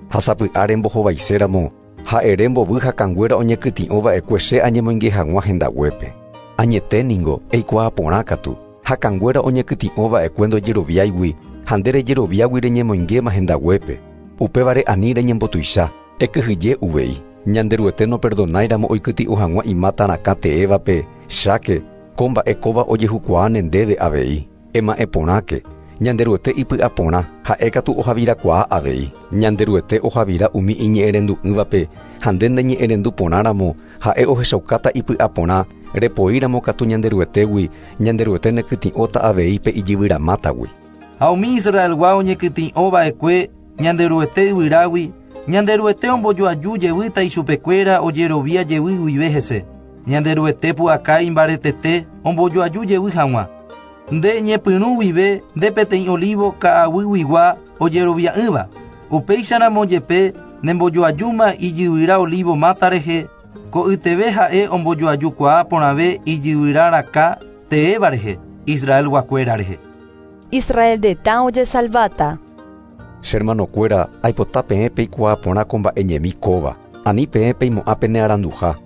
Ha sapy'a rembohovaiséramo, ha ere mbovy hakãnguéra oñekytĩ'o va'ekue che añemoinge hag̃ua hendaguépe. Añete ningo, eikuaa porã katu, hakãnguéra oñekytĩ'o va'ekue ndojeroviáigui ha nde rejeroviágui reñemoingéma hendaguépe. Upévare ani reñembotuicha, ekyhyje uvei. Ñanderuete noperdonáiramo oikytĩ'o hag̃ua imáta rakã teévape, cháke, ko mba'e kóva ojehukuaáne ndéve avei. Ema'ẽ porãke, Ñanderuete ipy'aporã, ha'e katu ohavirakuaa avei. Ñanderuete ohavira umi iñe'ẽrendu'ỹvape ha nde neñe'ẽrendu porãramo, ha'e ohechaukáta ipy'aporã, repoíramo katu Ñanderuetégui, Ñanderuete nekytĩ'óta avei pe ijyvyramátagui. Ha umi Israelgua oñekytĩ'o va'ekue Ñanderuete yvyrágui, Ñanderuete ombojoaju jevýta ichupekuéra ojerovia jevy guive hese. Ñanderuete pu'aka imbaretete ombojoaju jevy hag̃ua. Nde ñepyrũ guive nde peteĩ olívo ka'aguyguigua ojerovia'ỹva. Upéicharamo jepe nembojoajúma ijyvyra olívo máta rehe, ko'yteve ha'e ombojoajukuaa porãve ijyvyra rakã teéva rehe, Israelguakuéra rehe. Israel retã ojesalváta. Che hermanokuéra, aipota peẽ peikuaa porã ko mba'e ñemi kóva. Ani peẽ peimo'ã pene aranduha.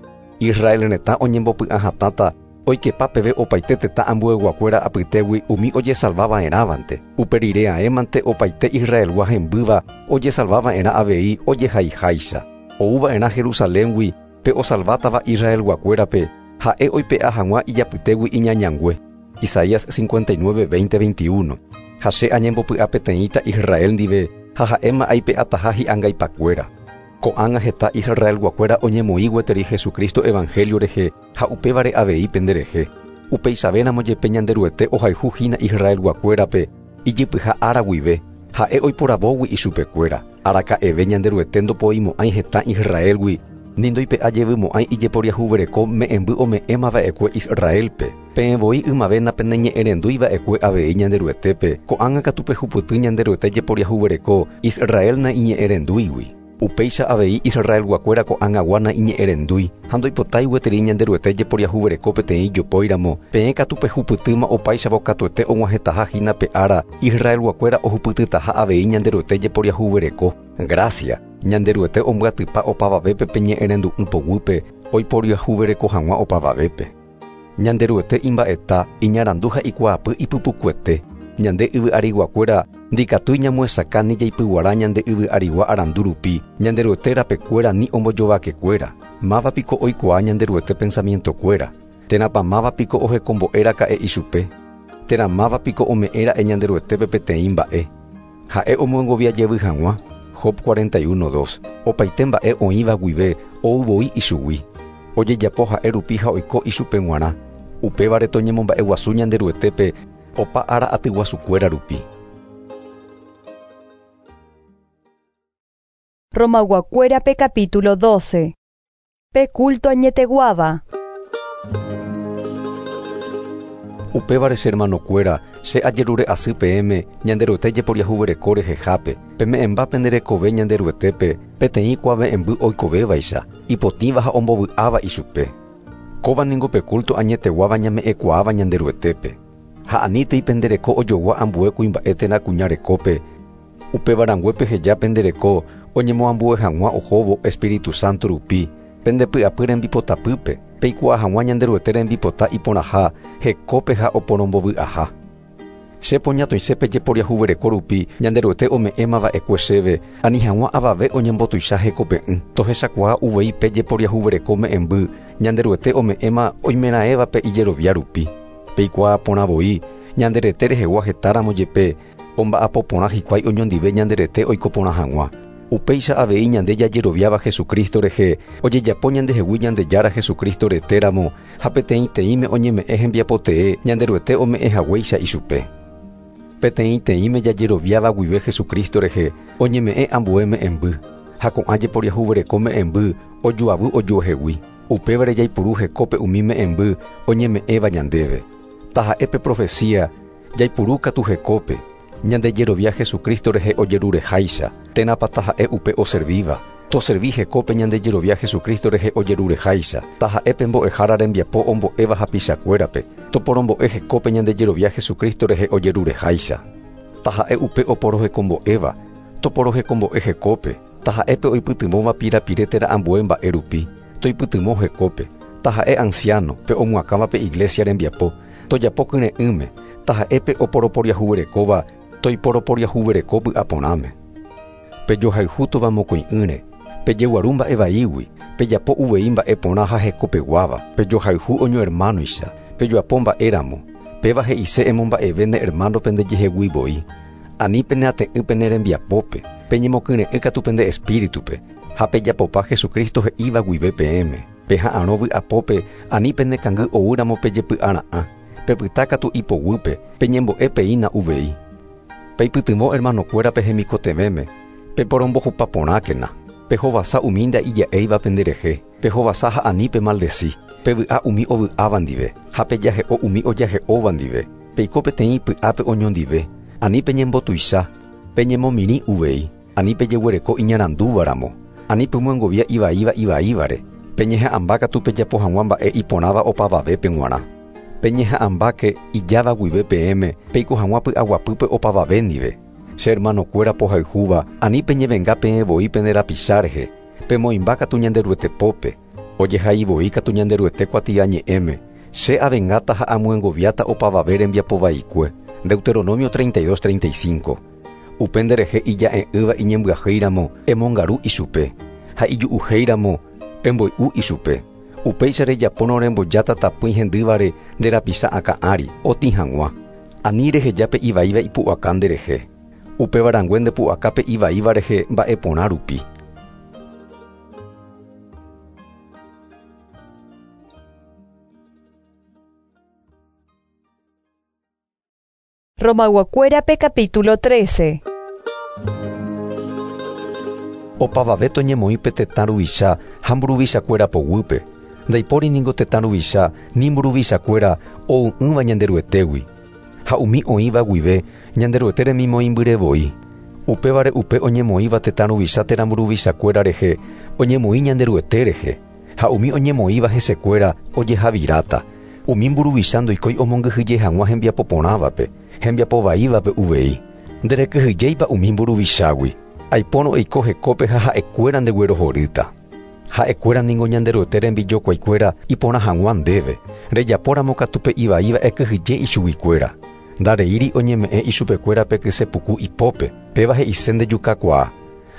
Israel retã oñembopy'a hatãta oikepa peve opaite tetã ambueyguakuéra apytégui umi ojesalva va'erãvante. Upe rire aémante opaite Israelgua hembýva ojesalva va'erã avei ojehaiháicha. Ou va'erã Jerusaléngui pe osalvátava Israelguakuérape, ha'e oipe'a hag̃ua ijapytégui iñañangue. Isaías 59, 20, 21. Ha che añembopy'a peteĩta Israel ndive ha ha'éma aipe'ataha hi'angaipakuéra. Ko'ág̃a heta Israelguakuéra oñemoĩ gueteri Jesucristo evangelio rehe ha upévare avei penderehe. Upeichavéramo jepe Ñanderuete ohayhu hína Israelguakuérape ijypyha ára guive, ha'e oiporavógui ichupekuéra. Araka'eve Ñanderuete ndopoimo'ãi heta Israelgui, ni ndoipe'a jevymo'ãi ijeporiahuvereko me'ẽmby ome'ẽma va'ekue Israelpe. Peẽ voi ymave napeneñe'ẽrendúi va'ekue avei Ñanderuetépe, ko'ág̃a katu pehupyty Ñanderuete jeporiahuvereko Israel naiñe'ẽrendúigui. Upéicha avei Israelguakuéra ko'ág̃agua naiñe'ẽrendúi ha ndoipotái gueteri Ñanderuete jeporiahuvereko peteĩ jopóiramo, peẽ katu pehupytýma opáichavo katuete og̃uahẽtaha hína pe ára Israelguakuéra ohupytytaha avei Ñanderuete jeporiahuvereko. Gracia, Ñanderuete ombyatypa opavavépe pe ñe'ẽrendu'ỹ poguýpe oiporiahuvereko hag̃ua opavavépe. Ñanderuete imba'eta, iñarandu ha ikuaapy ipypukuete. Ñande yvy ariguakuéra ndikatúi ñamoesakã ni jaipyguara ñande yvy arigua arandu rupi, Ñanderuete rapekuéra ni ombojovakekuéra. Máva piko oikuaa Ñanderuete pensamientokuéra. Térãpa máva piko ohekombo'éraka'e ichupe. Térã máva piko ome'ẽra'e Ñanderuetépe peteĩ mba'e. Ha'e omyengovia jevy hag̃ua. Job 41:2. Opaite mba'e oĩva guive ou voi ichugui. Ojejapo ha'e rupi ha oiko ichupe g̃uarã. Upévare toñemomba'eguasu Ñanderuetépe opa ára atyguasukuéra rupi. Romayguakuérape capítulo 12. Pe culto añeteguáva. Upévare che hermanokuéra, che ajerure asy peẽme Ñanderuete jeporiahuvereko rehehápe, peme'ẽmba pende rekove Ñanderuetépe peteĩ kuave'ẽmby oikovévaicha, ipotĩva ha ombovy'áva ichupe. Kóva ningo pe culto añeteguáva ñame'ẽkuaáva Ñanderuetépe. Ha anítei pende reko ojogua ambue kuimba'e térã kuña rekópe, upéva peheja pende reko oñemoambue hag̃ua ohóvo Espíritu Santo rupi, pende py'apy rembipotapýpe, peikuaa hag̃ua Ñanderuete rembipota iporãha, hekópe ha oporombovy'aha. Che poñatoisépe jeporiahuvereko rupi Ñanderuete ome'ẽmava'ekue chéve, ani hag̃ua avave oñembotuicha hekope'ỹ. Tohechakuaa uvei pe jeporiahuvereko me'ẽmby Ñanderuete ome'ẽma oimeraẽvape ijerovia rupi. Peikuaa porã voi, ñanderete rehegua hetáramo jepe, omba'apo porã hikuái oñondive ñanderete oiko porã hag̃ua. Upéicha avei ñande jajeroviáva Jesucristo rehe, ojejapo ñandehegui Ñandejára Jesucristo retéramo ha peteĩteĩme oñeme'ẽ hembiapotee Ñanderuete ome'ẽ haguéicha ichupe. Peteĩteĩme jajeroviáva guive Jesucristo rehe, oñeme'ẽ ambue me'ẽmby, ha ko'ã jeporiahuvereko me'ẽmby ojoavy ojuehegui. Upévare jaipuru hekópe umi me'ẽmby oñeme'ẽva ñandéve. Taha'e pe profecía jaipuru katu hekópe, ñandejerovia Jesucristo rehe ojerureháicha, térãpa taha'e upe oservíva. Toservi hekópe ñandejerovia Jesucristo rehe ojerureháicha, taha'e pe mbo'ehára rembiapo ombo'éva hapichakuérape, toporombo'e hekópe ñandejerovia Jesucristo rehe ojerureháicha. Taha'e upe oporohekombo'éva, toporohekombo'e hekópe, taha'e pe oipytyvõva pirapire térã ambue mba'e rupi, toipytyvõ hekópe, taha'e anciano pe omyakãva pe iglesia rembiapo, tojapo kyre'ỹme, taha'e pe oporoporiahuverekóva toiporoporiahuvereko py'aporãme. Pejohayhútova mokõi'ỹre, pejeguaru mba'evaígui, pejapo uvei mba'e porã ha hekopeguáva, pejohayhu oñohermanoicha, pejoapo mba'éramo, péva he'ise emomba'eve ne hermano pendejehegui voi. Ani peneate'ỹ pene rembiapópe, peñemokyre'ỹ katu pende espíritupe, ha pejapopa Jesucristo he'íva guive peẽme. Peha'arõ vy'apópe ani penekangy oúramo pejepy'ara'ã, pepyta katu ipoguýpe, peñembo'e peína uvei. Peipytyvõ hermanokuérape hemikotevẽme, peporombohupa porãkena, pehovasa umi nda'ija'éiva penderehe, pehovasa ha ani pemaldeci, pevy'a umi ovy'áva ndive, ha pejahe'o umi ojahe'óva ndive, peiko peteĩ py'ápe oñondive, ani peñembotuicha, peñemomirĩ uvei, ani pejeguereko iñarandúvaramo, ani pemyengovia ivaíva ivaívare, peñeha'ãmba katu pejapo hag̃ua mba'e iporãva opavavépe g̃uarã. Peñeha'ãmbáke ijáva guive peẽme, peiko hag̃ua py'aguapýpe opavave ndive. Che hermanokuéra pohayhúva, ani peñevenga peẽ voi pende rapicha rehe, pemoĩmba katu Ñanderuete pópe, ojehai voi katu Ñanderuete kuatiañe'ẽme, che avengáta ha amyengoviáta opavave rembiapovaikue. Deuteronomio 32:35. Upe nderehe ija'e'ỹva iñembyahýiramo emongaru ichupe, ha iju'uhéiramo emboy'u ichupe. Upéicha rejapórõ rembojáta tapỹi hendývare nde rapicha akã ári, otĩ hag̃ua. Ani reheja pe ivaíva ipu'aka nderehe. Upéva rangue ndepu'aka pe ivaíva rehe mba'eporã rupi. Romayguakuérape capítulo 13. Opavave toñemoĩ pe tetã ruvicha ha mburuvichakuéra poguýpe. Ndaipóri ningo tetã ruvicha ni mburuvichakuéra ou'ỹva Ñanderuetégui. Ha umi oĩva guive Ñanderuete remimoĩmbyre voi. Upévare upe oñemoĩva tetã ruvicha térã mburuvichakuéra rehe oñemoĩ Ñanderuete rehe. Ha umi oñemoĩva hesekuéra ojehaviráta. Umi mburuvicha ndoikói omongyhyje hag̃ua hembiapo porãvape, hembiapo vaívape uvei. Nderekyhyjéipa umi mburuvichágui. Aipórõ eiko hekópe ha ha'ekuéra ndeguerohorýta. Ha'ekuéra ningo Ñanderuete rembijokuaikuéra iporã hag̃ua ndéve, rejapóramo katu pe ivaíva ekyhyje ichuguikuéra. Ndareíri oñeme'ẽ ichupekuéra pe kysepuku ipópe, péva he'ise ndejukakuaa.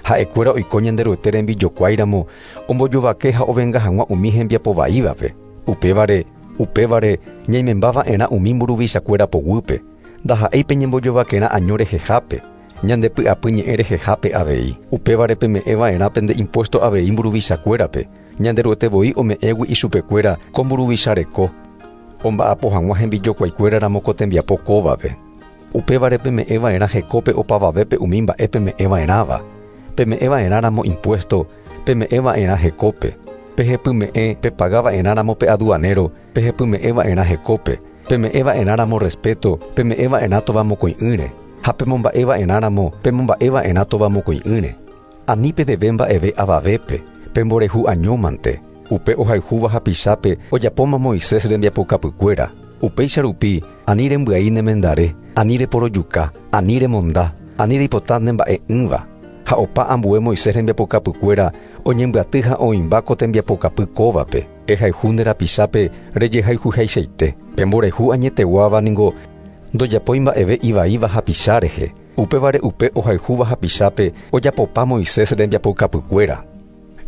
Ha'ekuéra oiko Ñanderuete rembijokuáiramo ombojovake ha ovenga hag̃ua umi hembiapo vaívape. Upévare, Upévare ñaimembava'erã umi mburuvichakuéra poguýpe, ndaha'éi peñembojovakerã año rehehápe, ñandepy'apy ñe'ẽ rehehápe avei. Upévare peme'ẽva'erã pende impuesto avei mburuvichakuérape, Ñanderuete voi ome'ẽgui ichupekuéra ko mburuvichareko, omba'apo hag̃ua hembijokuaikuéraramo ko tembiapo kóvape. Upévare peme'ẽva'erã hekópe opavavépe umi mba'e peme'ẽva'erãva. Peme'ẽva'erãramo impuesto, peme'ẽva'erã hekópe. Pehepyme'ẽ pepagava'erãramo pe aduanero, pehepyme'ẽva'erã hekópe. Peme'ẽva'erãramo respeto, peme'ẽva'erã tovamokõi'ỹre. Ha pemomba'eva'erãramo, pemomba'eva'erã tovamokõi'ỹre. Ani pedeve mba'eve avavépe, pemborehu añómante. Upe ohayhúva hapichápe ojapóma Moisés rembiapokapykuéra. Upéicha rupi, ani rembyai ne mendare, ani reporojuka, ani remonda, ani reipota ne mba'e'ỹva. Ha opa ambue Moisés rembiapokapykuéra oñembyaty ha oĩmba ko tembiapokapy kóvape. Ehayhu nde rapichápe rejehayhuhaichaite. Pemborehu añeteguáva ningo ndojapói mba'eve ivaíva hapicha rehe. Upévare upe ohayhúva hapichápe ojapopa Moisés rembiapokapykuéra.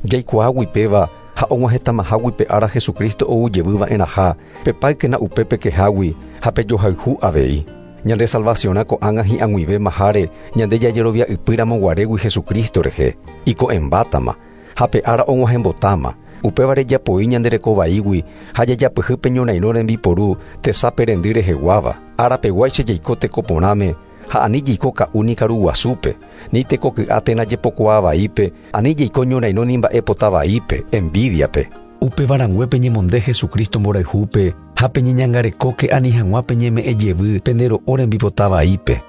Jaikuaágui péva ha og̃uahẽtamahágui pe ára Jesucristo ou jevyva'erãha, pepáykena upe pekehágui ha pejohayhu avei. Ñande salvaciõrã ko'ág̃a hi'ag̃uivémaháre ñande jajerovia'ypýramo guarégui Jesucristo rehe, iko'ẽmbátama, ha pe ára og̃uahẽmbotáma. Upévare japoi ñande rekovaígui ha jajapyhy pe ñorairõ rembiporu tesape rendy reheguáva. Árapeguáicha jaiko teko porãme ha ani jaiko ka'u ni karu guasúpe, ni tekoky'a térã jepokuaa vaípe, ani jaiko ñorairõ ni mba'epota vaípe, envidiape. Upevarãngue peñemonde Jesucristo mborayhúpe ha peñeñangarekóke ani hag̃ua peñeme'ẽ jevy pende ro'o rembipota vaípe.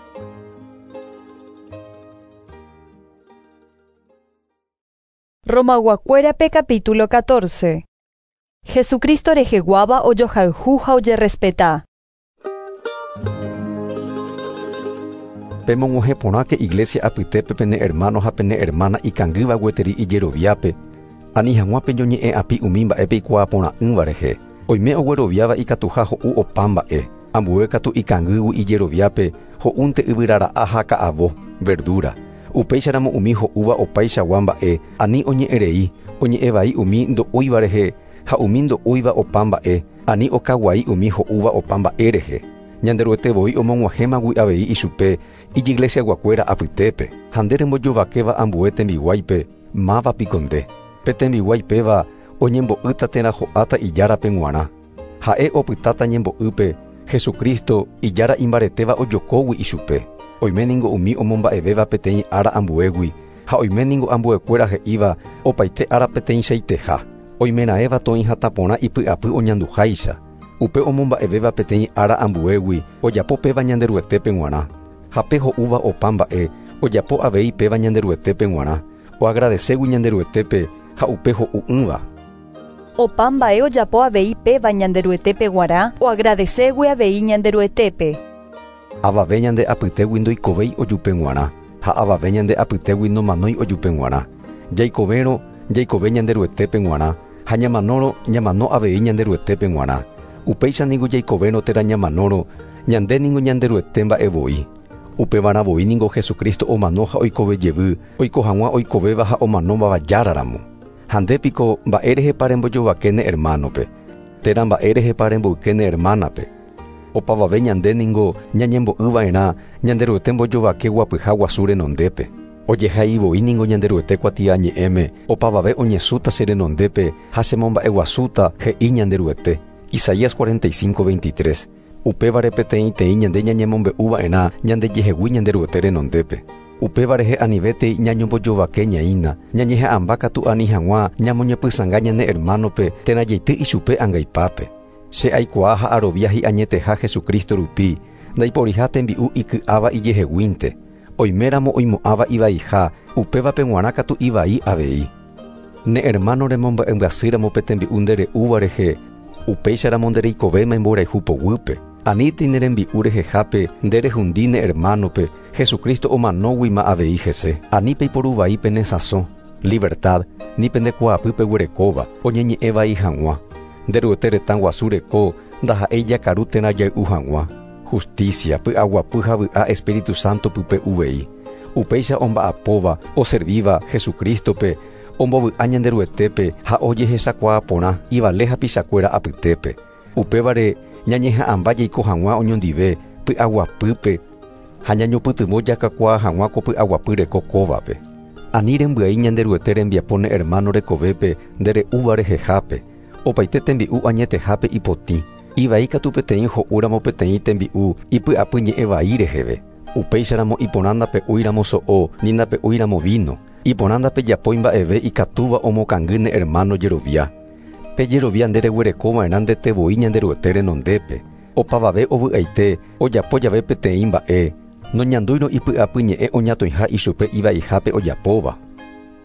Romayguakuérape capítulo 14. Jesucristo reheguáva ojohayhu ha ojerespeta. Pemog̃uahẽporãke iglesia apytépe pene hermano ha pene hermana ikangýva gueteri ijeroviápe, ani hag̃ua peñoñe'ẽ'api umi mba'e peikuaaporã'ỹva rehe. Oime ogueroviáva ikatuha ho'u opa mba'e, ambue katu ikangýgui ijeroviápe ho'únte yvyrara'a ha ka'avo, verdura. Upéicharamo umi ho'úva opaichagua mba'e, ani oñe'ẽrei, oñe'ẽvai umi ndo'úiva rehe ha umi ndo'úiva opa mba'e, ani okaguai umi ho'úva opa mba'e rehe. Ñanderuete voi omog̃uahẽmagui avei ichupe ijiglesiaguakuéra apytépe. Ha nde rembojovakéva ambue tembiguáipe, máva piko nde. Pe tembiguái péva oñembo'ýta térã ho'áta ijárape g̃uarã. Ha'e opytáta ñembo'ýpe Jesucristo ijára imbaretéva ojokógui ichupe. Oime ningo umi omomba'evéva peteĩ ára ambuégui ha oime ningo ambuekuéra he'íva opaite ára peteĩchaiteha. Oimeraẽva toĩ hatã porã ipy'apy oñanduháicha. Upe omomba'evéva peteĩ ára ambuégui ojapo péva Ñanderuetépe g̃uarã. Ha pe ho'úva opa mba'e ojapo avei péva Ñanderuetépe g̃uarã, oagradeségui Ñanderuetépe ha upe ho'u'ỹva. Opa mba'e ojapo avei péva Ñanderuetépe g̃uarã, oagradeségui avei Ñanderuetépe. Avave ñande apytégui ndoikovéi ojupe g̃uarã, ha avave ñande apytégui nomanói ojupe g̃uarã. Jaikovérõ, jaikove Ñanderuetépe g̃uarã, ha ñamanórõ, ñamano avei Ñanderuetépe g̃uarã. Upéicha ningo jaikovérõ térã ñamanórõ, ñande ningo Ñanderuete mba'e voi. Upevarã voi ningo Jesucristo omano ha oikove jevy, oiko hag̃ua oikovéva ha omanómava járaramo. Ha nde piko mba'érehepa rembojovake ne hermanope, térã mba'érehepa remboyke ne hermanape. Opavave ñande ningo ñañembo'yva'erã Ñanderuete mbojovake guapyha guasu renondépe. Ojehai voi ningo Ñanderuete kuatiañe'ẽme, opavave oñesũta che renondépe ha chemomba'eguasúta, he'i Ñanderuete. Isaías 45, 23. Upévare peteĩteĩ ñande ñañemombe'uva'erã ñandejehegui Ñanderuete renondépe. Upéva rehe anivétei ñañombojovake ñaína, ñañeha'ãmba katu ani hag̃ua ñamoñepysãnga ñane hermanope térã jaity ichupe angaipápe. Che aikuaa ha arovia hi'añeteha Jesucristo rupi, ndaiporiha tembi'u iky'áva ijeheguínte. Oiméramo oimo'ãva ivaiha, upévape g̃uarã katu ivai avei. Ne hermano remomba'embyasýramo pe tembi'u nde re'úva rehe, upéicharamo nde reikovéma imborayhu poguýpe. Anítei ne rembi'u rehehápe nde rehundi ne hermanope, Jesucristo omanóguima avei hese. Ani peiporu vai pene sãso, libertad, ni pende kuaapy peguerekóva, oñeñe'ẽ vai hag̃ua. Nderuete retã guasu reko ndaha'éi jakaru térã jay'u hag̃ua. Justicia, py'aguapy ha vy'a Espíritu Santo pype uvei. Upéicha omba'apóva, oservíva Jesucristope, ombovy'a Ñanderuetépe ha ojehechakuaa porã ivale hapichakuéra apytépe. Upévare ñañeha'ãmba jaiko hag̃ua oñondive py'aguapýpe ha ñañopytyvõ jakakuaa hag̃ua ko py'aguapy reko kóvape. Ani rembyai Ñanderuete rembiapo ne hermano rekovépe ndere'úva rehehápe. Opaite tembi'u añetehápe ipotĩ. Ivai katu peteĩ ho'úramo peteĩ tembi'u ipy'apy ñe'ẽ vai reheve. Upéicharamo iporã ndape'úiramo so'o ni ndape'úiramo vino. Iporã ndapejapói mba'eve ikatúva omokangy ne hermano jerovia. Pe jerovia ndereguerekova'erã ndetevoi Ñanderuete renondépe. Opavave ovy'aite ojapo jave peteĩ mba'e noñandúirõ ipy'apy ñe'ẽ oñatõiha ichupe ivaihápe ojapóva.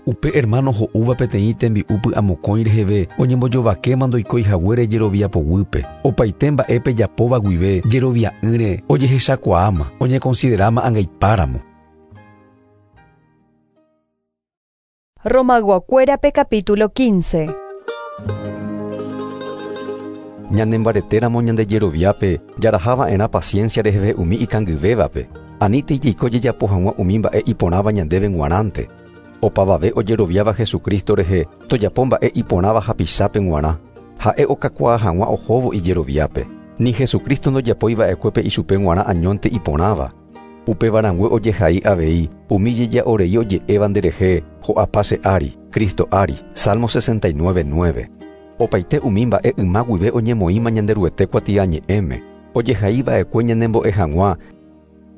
Upe hermano ho'úva peteĩ tembi'u py'amokõi reheve oñembojovakéma ndoikói haguére jerovia poguýpe. Opaite mba'e pejapóva guive jerovia'ỹre ojehechakuaáma, oñekonsideráma angaipáramo. Romayguakuérape capítulo 15. Ñanembaretéramo ñandejeroviápe jarahava'erã paciencia reheve umi ikangyvévape. Anítei jaiko jajapo hag̃ua umi mba'e iporãva ñandéve g̃uarãnte. Opavave ojeroviáva Jesucristo rehe tojapo mba'e iporãva hapichápe g̃uarã. Ha'e okakuaa hag̃ua ohóvo ijeroviápe. Ni Jesucristo ndojapoiva'ekuépe ichupe g̃uarã añónte iporãva. Upevarãngue ojehai avei umi jeja'orei oje'éva nderehe ho'apa che ári, Cristo ári. Salmo 69:9. Opaite umi mba'e yma guive oñemoĩma Ñanderuete kuatiañe'ẽme. Ojehaiva'ekue ñanembo'e hag̃ua,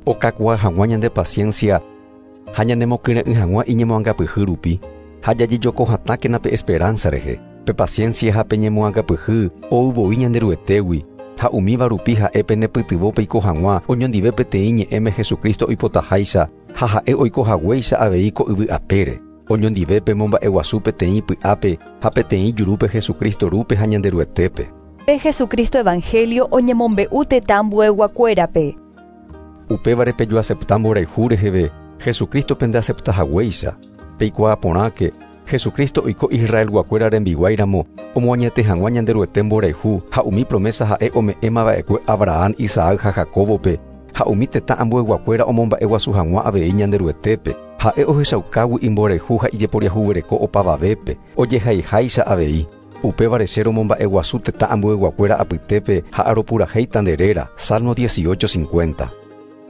okakuaa hag̃ua ñande paciencia ha ñanemokyre'ỹ hag̃ua iñemoangapyhy rupi ha jajejokohatãkena pe esperanza rehe. Pe paciencia ha pe ñemoangapyhy ouvoi Ñanderuetégui ha umíva rupi ha'e penepytyvõ peiko hag̃ua oñondive peteĩ ñe'ẽme Jesucristo oipotaháicha ha ha'e oiko haguéicha avei ko yvy apére. Oñondive pemomba'eguasu peteĩ py'ápe ha peteĩ jurúpe Jesucristo rúpe ha Ñanderuetépe. Pe Jesucristo Evangelio oñemombe'u tetã ambueyguakuérape. Upévare pejoacepta mborayhu reheve Jesucristo pendeacepta haguéicha. Peikuaa porãke Jesucristo oiko Israelguakuéra rembiguáiramo omoañete hag̃ua Ñanderuete mborayhu ha umi promesa ha'e ome'ẽmava'ekue Abraham, Isaac ha Jacobope ha umi tetã ambueyguakuéra omomba'eguasu hag̃ua avei Ñanderuetépe. Ha'e ohechaukágui imborayhu ha ijeporiahuvereko opavavépe ojehaiháicha avei. Upévare che romomba'eguasu tetã ambueyguakuéra apytépe ha aropurahéita nde réra. Salmo 18:50.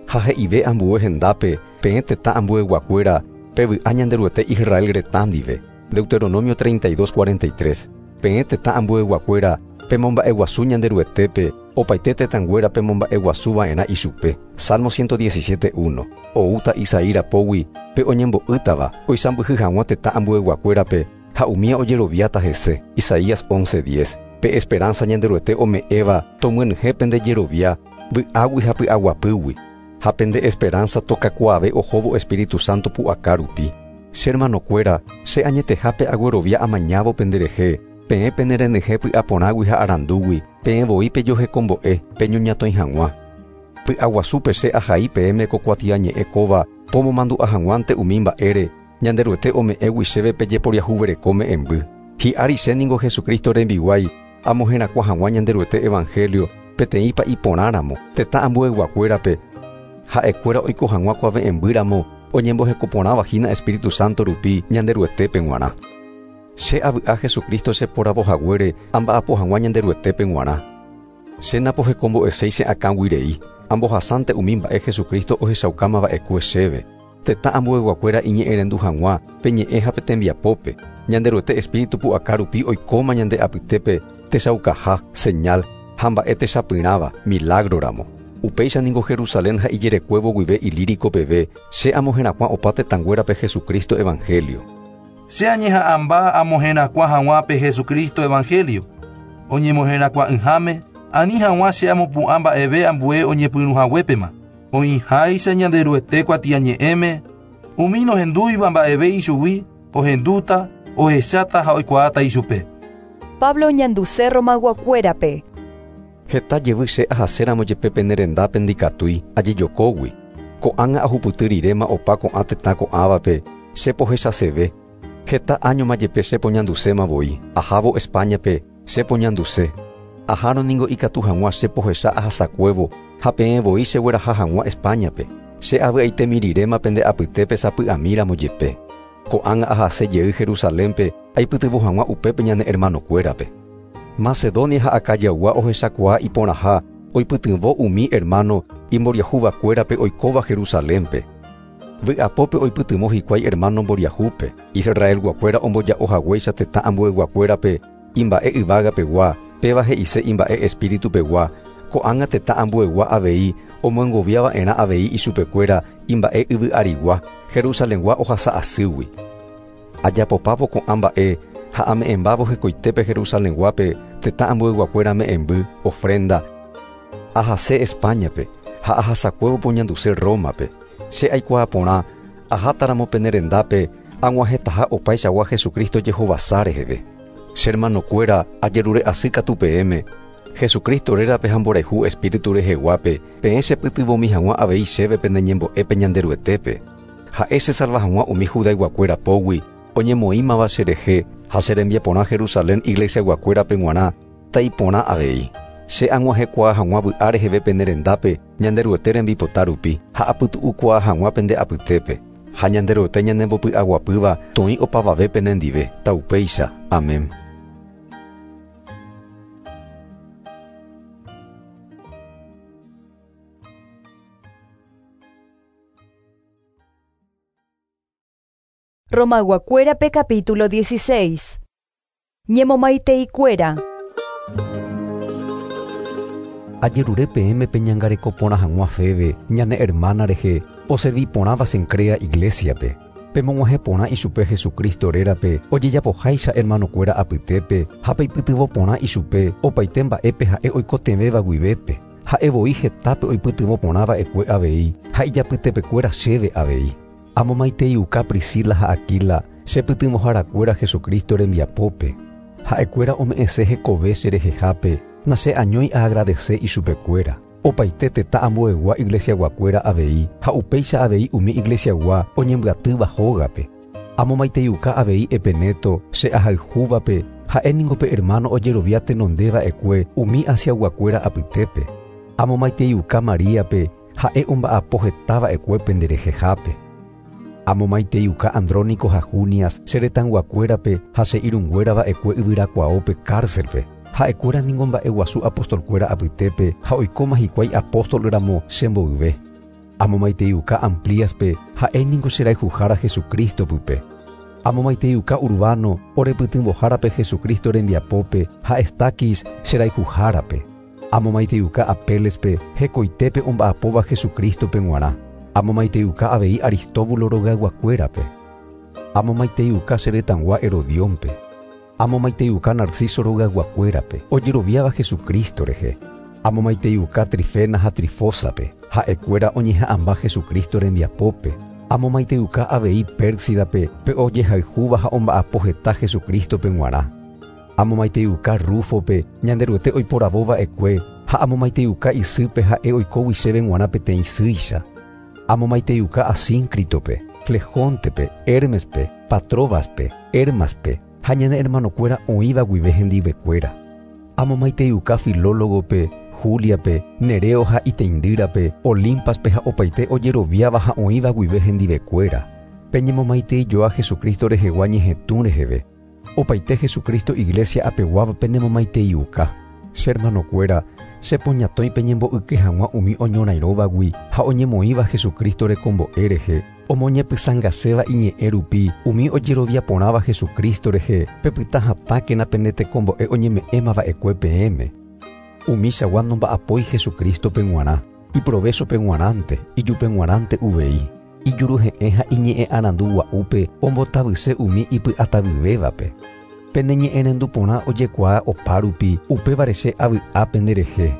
Ha he'ive ambue hendápe peẽ tetã ambueyguakuéra pevy'a Ñanderuete Israel retã ndive. Deuteronomio 32:43. Peẽ tetã ambueyguakuéra pemomba'eguasu Ñanderuetépe opaite tetãnguéra pemomba'eguasuva'erã ichupe. Salmo 117:1. Oúta Isaí rapógui pe oñembo'ýtava oisãmbyhy hag̃ua tetã ambueyguakuérape ha umía ojeroviáta hese. Isaías 11:10. Pe esperanza Ñanderuete ome'ẽva tomyenyhẽ pendejerovia vy'águi ha py'aguapýgui. Ha pende esperanza tokakuaave ohóvo Espíritu Santo pu'aka rupi. Che hermanokuéra, che añetehápe aguerovia amañávo penderehe, peẽ penerenyhẽ py'aporãgui ha arandúgui, peẽ voi pejohekombo'e, peñoñatõi hag̃ua. Py'aguasúpe che ahai peẽme ko kuatiañe'ẽ kóva pomomandu'a hag̃uánte umi mba'ére Ñanderuete ome'ẽgui chéve pejeporiahuvereko me'ẽmby. Hi'ári che ningo Jesucristo rembiguái amoherakuã hag̃ua Ñanderuete Evangelio peteĩpa iporãramo tetã ambueyguakuérape ha'ekuéra oiko hag̃ua kuave'ẽmbýramo oñembohekoporãvahína Espíritu Santo rupi Ñanderuetépe g̃uarã. Che avy'a Jesucristo cheporavohaguére amba'apo hag̃ua Ñanderuetépe g̃uarã. Che napohekombo'eséi che akãguirei, ambohasánte umi mba'e Jesucristo ohechaukámava'ekue chéve. Tetã ambueyguakuéra iñe'ẽrendu hag̃ua pe ñe'ẽ ha pe tembiapópe. Ñanderuete Espíritu pu'aka rupi oikóma ñande apytépe techaukaha, señal ha mba'e techapyrãva, milagroramo. Upéicha ningo Jerusalén ha ijerekuévo guive Ilírico peve che amoherakuã opa tetãnguérape Jesucristo Evangelio. Che añeha'ãmba amoherakuã hag̃ua pe Jesucristo Evangelio. Oñemoherakuã'ỹháme, ani hag̃ua che amopu'ã mba'eve ambue oñepyrũhaguépema. Oĩháicha Ñanderuete kuatiañe'ẽme, umi nohendúiva mba'eve ichugui, ohendúta, ohecháta ha oikuaáta ichupe. Pablo oñanduse Romayguakuérape. Heta jevy che ahaséramo jepe pene rendápe ndikatúi ajejokógui. Ko'ág̃a ahupyty riréma opa ko'ã tetã ko'ãvape che pohechaseve. Heta áñoma jepe che poñanduséma voi. Ahávo Españape che poñanduse. Ahárõ ningo ikatu hag̃ua che pohecha ahasakuévo ha peẽ voi chegueraha hag̃ua Españape. Che avy'aitemi riréma pende apytépe sapy'amíramo jepe. Ko'ág̃a ahase jey Jerusalénpe aipytyvõ hag̃ua upépe ñane hermanokuérape. Macedonia ha Acayaygua ohechakuaa iporãha oipytyvõ umi hermano imboriahuvakuérape oikóva Jerusalénpe. Vy'apópe oipytyvõ hikuái hermano mboriahúpe, Israelguakuéra omboja'ohaguéicha tetã ambueyguakuérape imba'e yvágapegua, péva he'ise imba'e espíritupegua, ko'ág̃a tetã ambuegua avei omoengoviava'erã avei ichupekuéra imba'e yvy'arigua, Jerusalengua ohasa asýgui. Ajapopávo ko'ã mba'e ha ame'ẽmbávo hekoitépe Jerusalenguápe tetã ambueyguakuéra me'ẽmby, ofrenda, ahase Españape ha ahasakuévo poñanduse Rómape. Che aikuaa porã ahátaramo pene rendápe ag̃uahẽtaha opaichagua Jesucristo jehovasa reheve. Che hermanokuéra ajerure asy katu peẽme, Jesucristo rérape ha mborayhu espíritu reheguápe, peẽ chepytyvõmi hag̃ua avei chéve pene ñembo'épe Ñanderuetépe. Ha'e chesalva hag̃ua umi judayguakuéra pógui oñemoĩmava cherehe ha che rembiaporã Jerusalén iglesiayguakuérape g̃uarã taiporã avei. Che ag̃uahẽkuaa hag̃ua vy'a reheve pene rendápe Ñanderuete rembipota rupi ha apytu'ukuaa hag̃ua pende apytépe. Ha Ñanderuete ñanembopy'aguapýva toĩ opavave penendive. Taupéicha. Amén. Romayguakuérape capítulo 16. Ñemomaiteikuéra. Ajerure peẽme peñangareko porã hag̃ua Febe, ñane hermana rehe, oservi porãva Cencrea iglesiape. Pemog̃uahẽ porã ichupe Jesucristo rérape ojejapoháicha hermanokuéra apytépe ha peipytyvõ porã ichupe opaite mba'épe ha'e oikotevẽva guivépe. Ha'e voi hetápe oipytyvõ porã va'ekue avei ha ijapytepekuéra chéve avei. Amomaiteiuka Priscila ha Aquila chepytyvõharakuéra Jesucristo rembiapópe. Ha'ekuéra ome'ẽse hekove cherehehápe nacheañói aagradece ichupekuéra. Opaite tetã ambuegua iglesiaguakuéra avei ha upéicha avei umi iglesiagua oñembyatýva hógape. Amomaiteiuka avei Epeneto che ahayhúvape ha'e ningo pe hermano ojerovia tenondeva'ekue umi Asiaguakuéra apytépe. Amomaiteiuka Maríape ha'e omba'apo hetava'ekue penderehehápe. Amomaiteiuka Andrónico ha Junias che retãyguakuérape ha che irũnguérava'ekue yvyrakuaópe cárcelpe. Ha'ekuéra ningo mba'eguasu apostolkuéra apytépe ha oikóma hikuái apóstol ramo chemboyve. Amomaiteiuka Amplíaspe ha'e ningo cherayhuhára Jesucristo pype. Amomaiteiuka Urbano orepytyvõhárape Jesucristo rembiapópe ha Estaquis cherayhuhárape. Amomaiteiuka Apélespe hekoitépe omba'apóva Jesucristope g̃uarã. Amomaiteiuka avei Aristóbulo rogayguakuérape. Amomaiteiuka che retãgua Herodiónpe. Amomaiteiuka Narciso rogayguakuérape ojeroviáva Jesucristo rehe. Amomaiteiuka Trifena ha Trifósape ha'ekuéra oñeha'ãmba Jesucristo rembiapópe. Amomaiteiuka avei Pérsidape pe ojehayhúva ha omba'apo heta Jesucristope g̃uarã. Amomaiteiuka Rúfope Ñanderuete oiporavóva'ekue ha amomaiteiuka isýpe ha'e oikógui chéve g̃uarã peteĩ sýicha. Amomaiteiuka Asíncritope, Flejóntepe, Hermespe, Patróbaspe, Hermaspe ha ñane hermanokuéra oĩva guive hendivekuéra. Amomaiteiuka Filólogope, Juliape, Nereo ha iteindýrape, Olimpaspe ha opaite ojeroviáva ha oĩva guive hendivekuéra. Peñemomaiteijoa Jesucristo rehegua ñehetũ reheve. Opaite Jesucristo iglesia apeguáva penemomaiteiuka. Che hermanokuéra, chepoñatõi peñembo'yke hag̃ua umi oñorairõvagui ha oñemoĩva Jesucristo rekombo'e rehe, omoñepysãngaséva iñe'ẽ rupi umi ojerovia porãva Jesucristo rehe, pepyta hatãkena pene tekombo'e oñeme'ẽmava'ekue peẽme. Umichagua nomba'apói Jesucristope g̃uarã, iprovéchope g̃uarãnte, ijupe g̃uarãnte uvei. Ijuruhe'ẽ ha iñe'ẽ arandu gua'úpe ombotavyse umi ipy'atavyvévape. Pene ñe'ẽrendu porã ojekuaa opárupi, upévare che avy'a penderehe.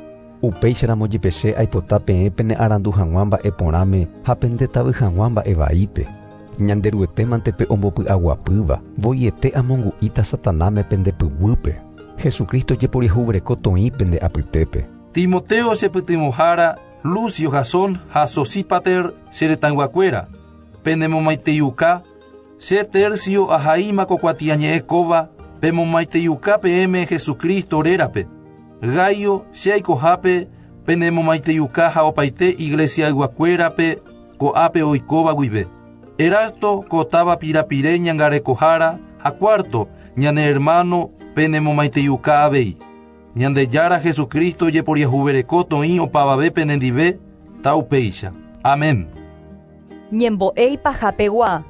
Upéicharamo jepe che aipota peẽ pene arandu hag̃ua mba'e porãme ha pendetavy hag̃ua mba'e vaípe. Ñanderuetémante pe ombopy'aguapýva, voiete amongu'íta Satanáme pende pyguýpe. Jesucristo jeporiahuvereko toĩ pende apytépe. Timoteo chepytyvõhára, Lucio Jasón ha Sosípater che retãyguakuéra, penemomaiteiuka, che Tercio ahaíma ko kuatiañe'ẽ kóva pemomaiteiuka peẽme Jesucristo rérape. Gaio che aikohápe penemomaiteiuka ha opaite iglesiayguakuérape ko'ápe oikóva guive. Erasto ko táva pirapire ñangarekohára ha Cuarto ñane hermano Penemomaiteiuka avei. Ñandejára Jesucristo jeporiahuvereko toĩ opavave penendive taupéicha. Amén. Ñembo'e ipahapegua.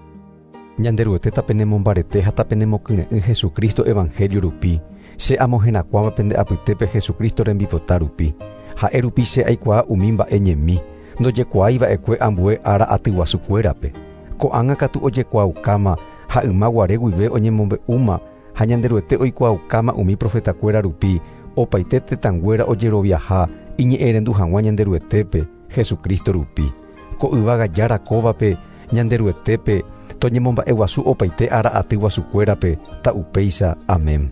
Ñanderuete tapenemombarete ha tapenemokyre'ỹ Jesucristo evangelio rupi. Che amoherakuãva pende apytépe Jesucristo rembipota rupi. Ha'e rupi che aikuaa umi mba'e ñemi, ndojekuaáiva'ekue ambue ára aty guasukuérape. Ko'ág̃a katu ojekuaaukáma ha ymaguare guive oñemombe'úma ha Ñanderuete oikuaaukáma umi profetakuéra rupi opaite tetãnguéra ojeroviaha iñe'ẽrendu hag̃ua Ñanderuetépe Jesucristo rupi. Ko yvága jára kóvape Ñanderuetépe toñemomba'eguasu opaite ára aty guasukuérape ta'upéicha. Amén.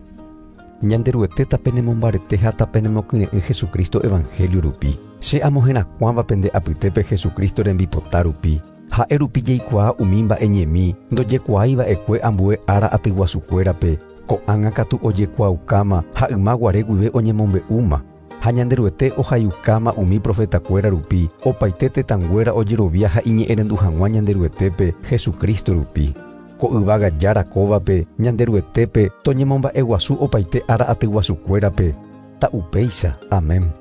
Ñanderuete tapenemombarete ha tapenemokyre'ỹ Jesucristo evangelio rupi. Che amoherakuãva pende apytépe Jesucristo rembipota rupi. Ha'e rupi jaikuaa umi mba'e ñemi ndojekuaáiva'ekue ambue ára aty guasukuérape. Ko'ág̃a katu ojekuaaukáma ha ymaguare guive oñemombe'úma. Ha Ñanderuete ohaiukáma umi profetakuéra rupi opaite tetãnguéra ojerovia ha iñe'ẽrendu hag̃ua Ñanderuetépe Jesucristo rupi. Ko yvága jára kóvape Ñanderuetépe toñemomba'eguasu opaite ára aty guasukuérape. Ta'upéicha. Amén.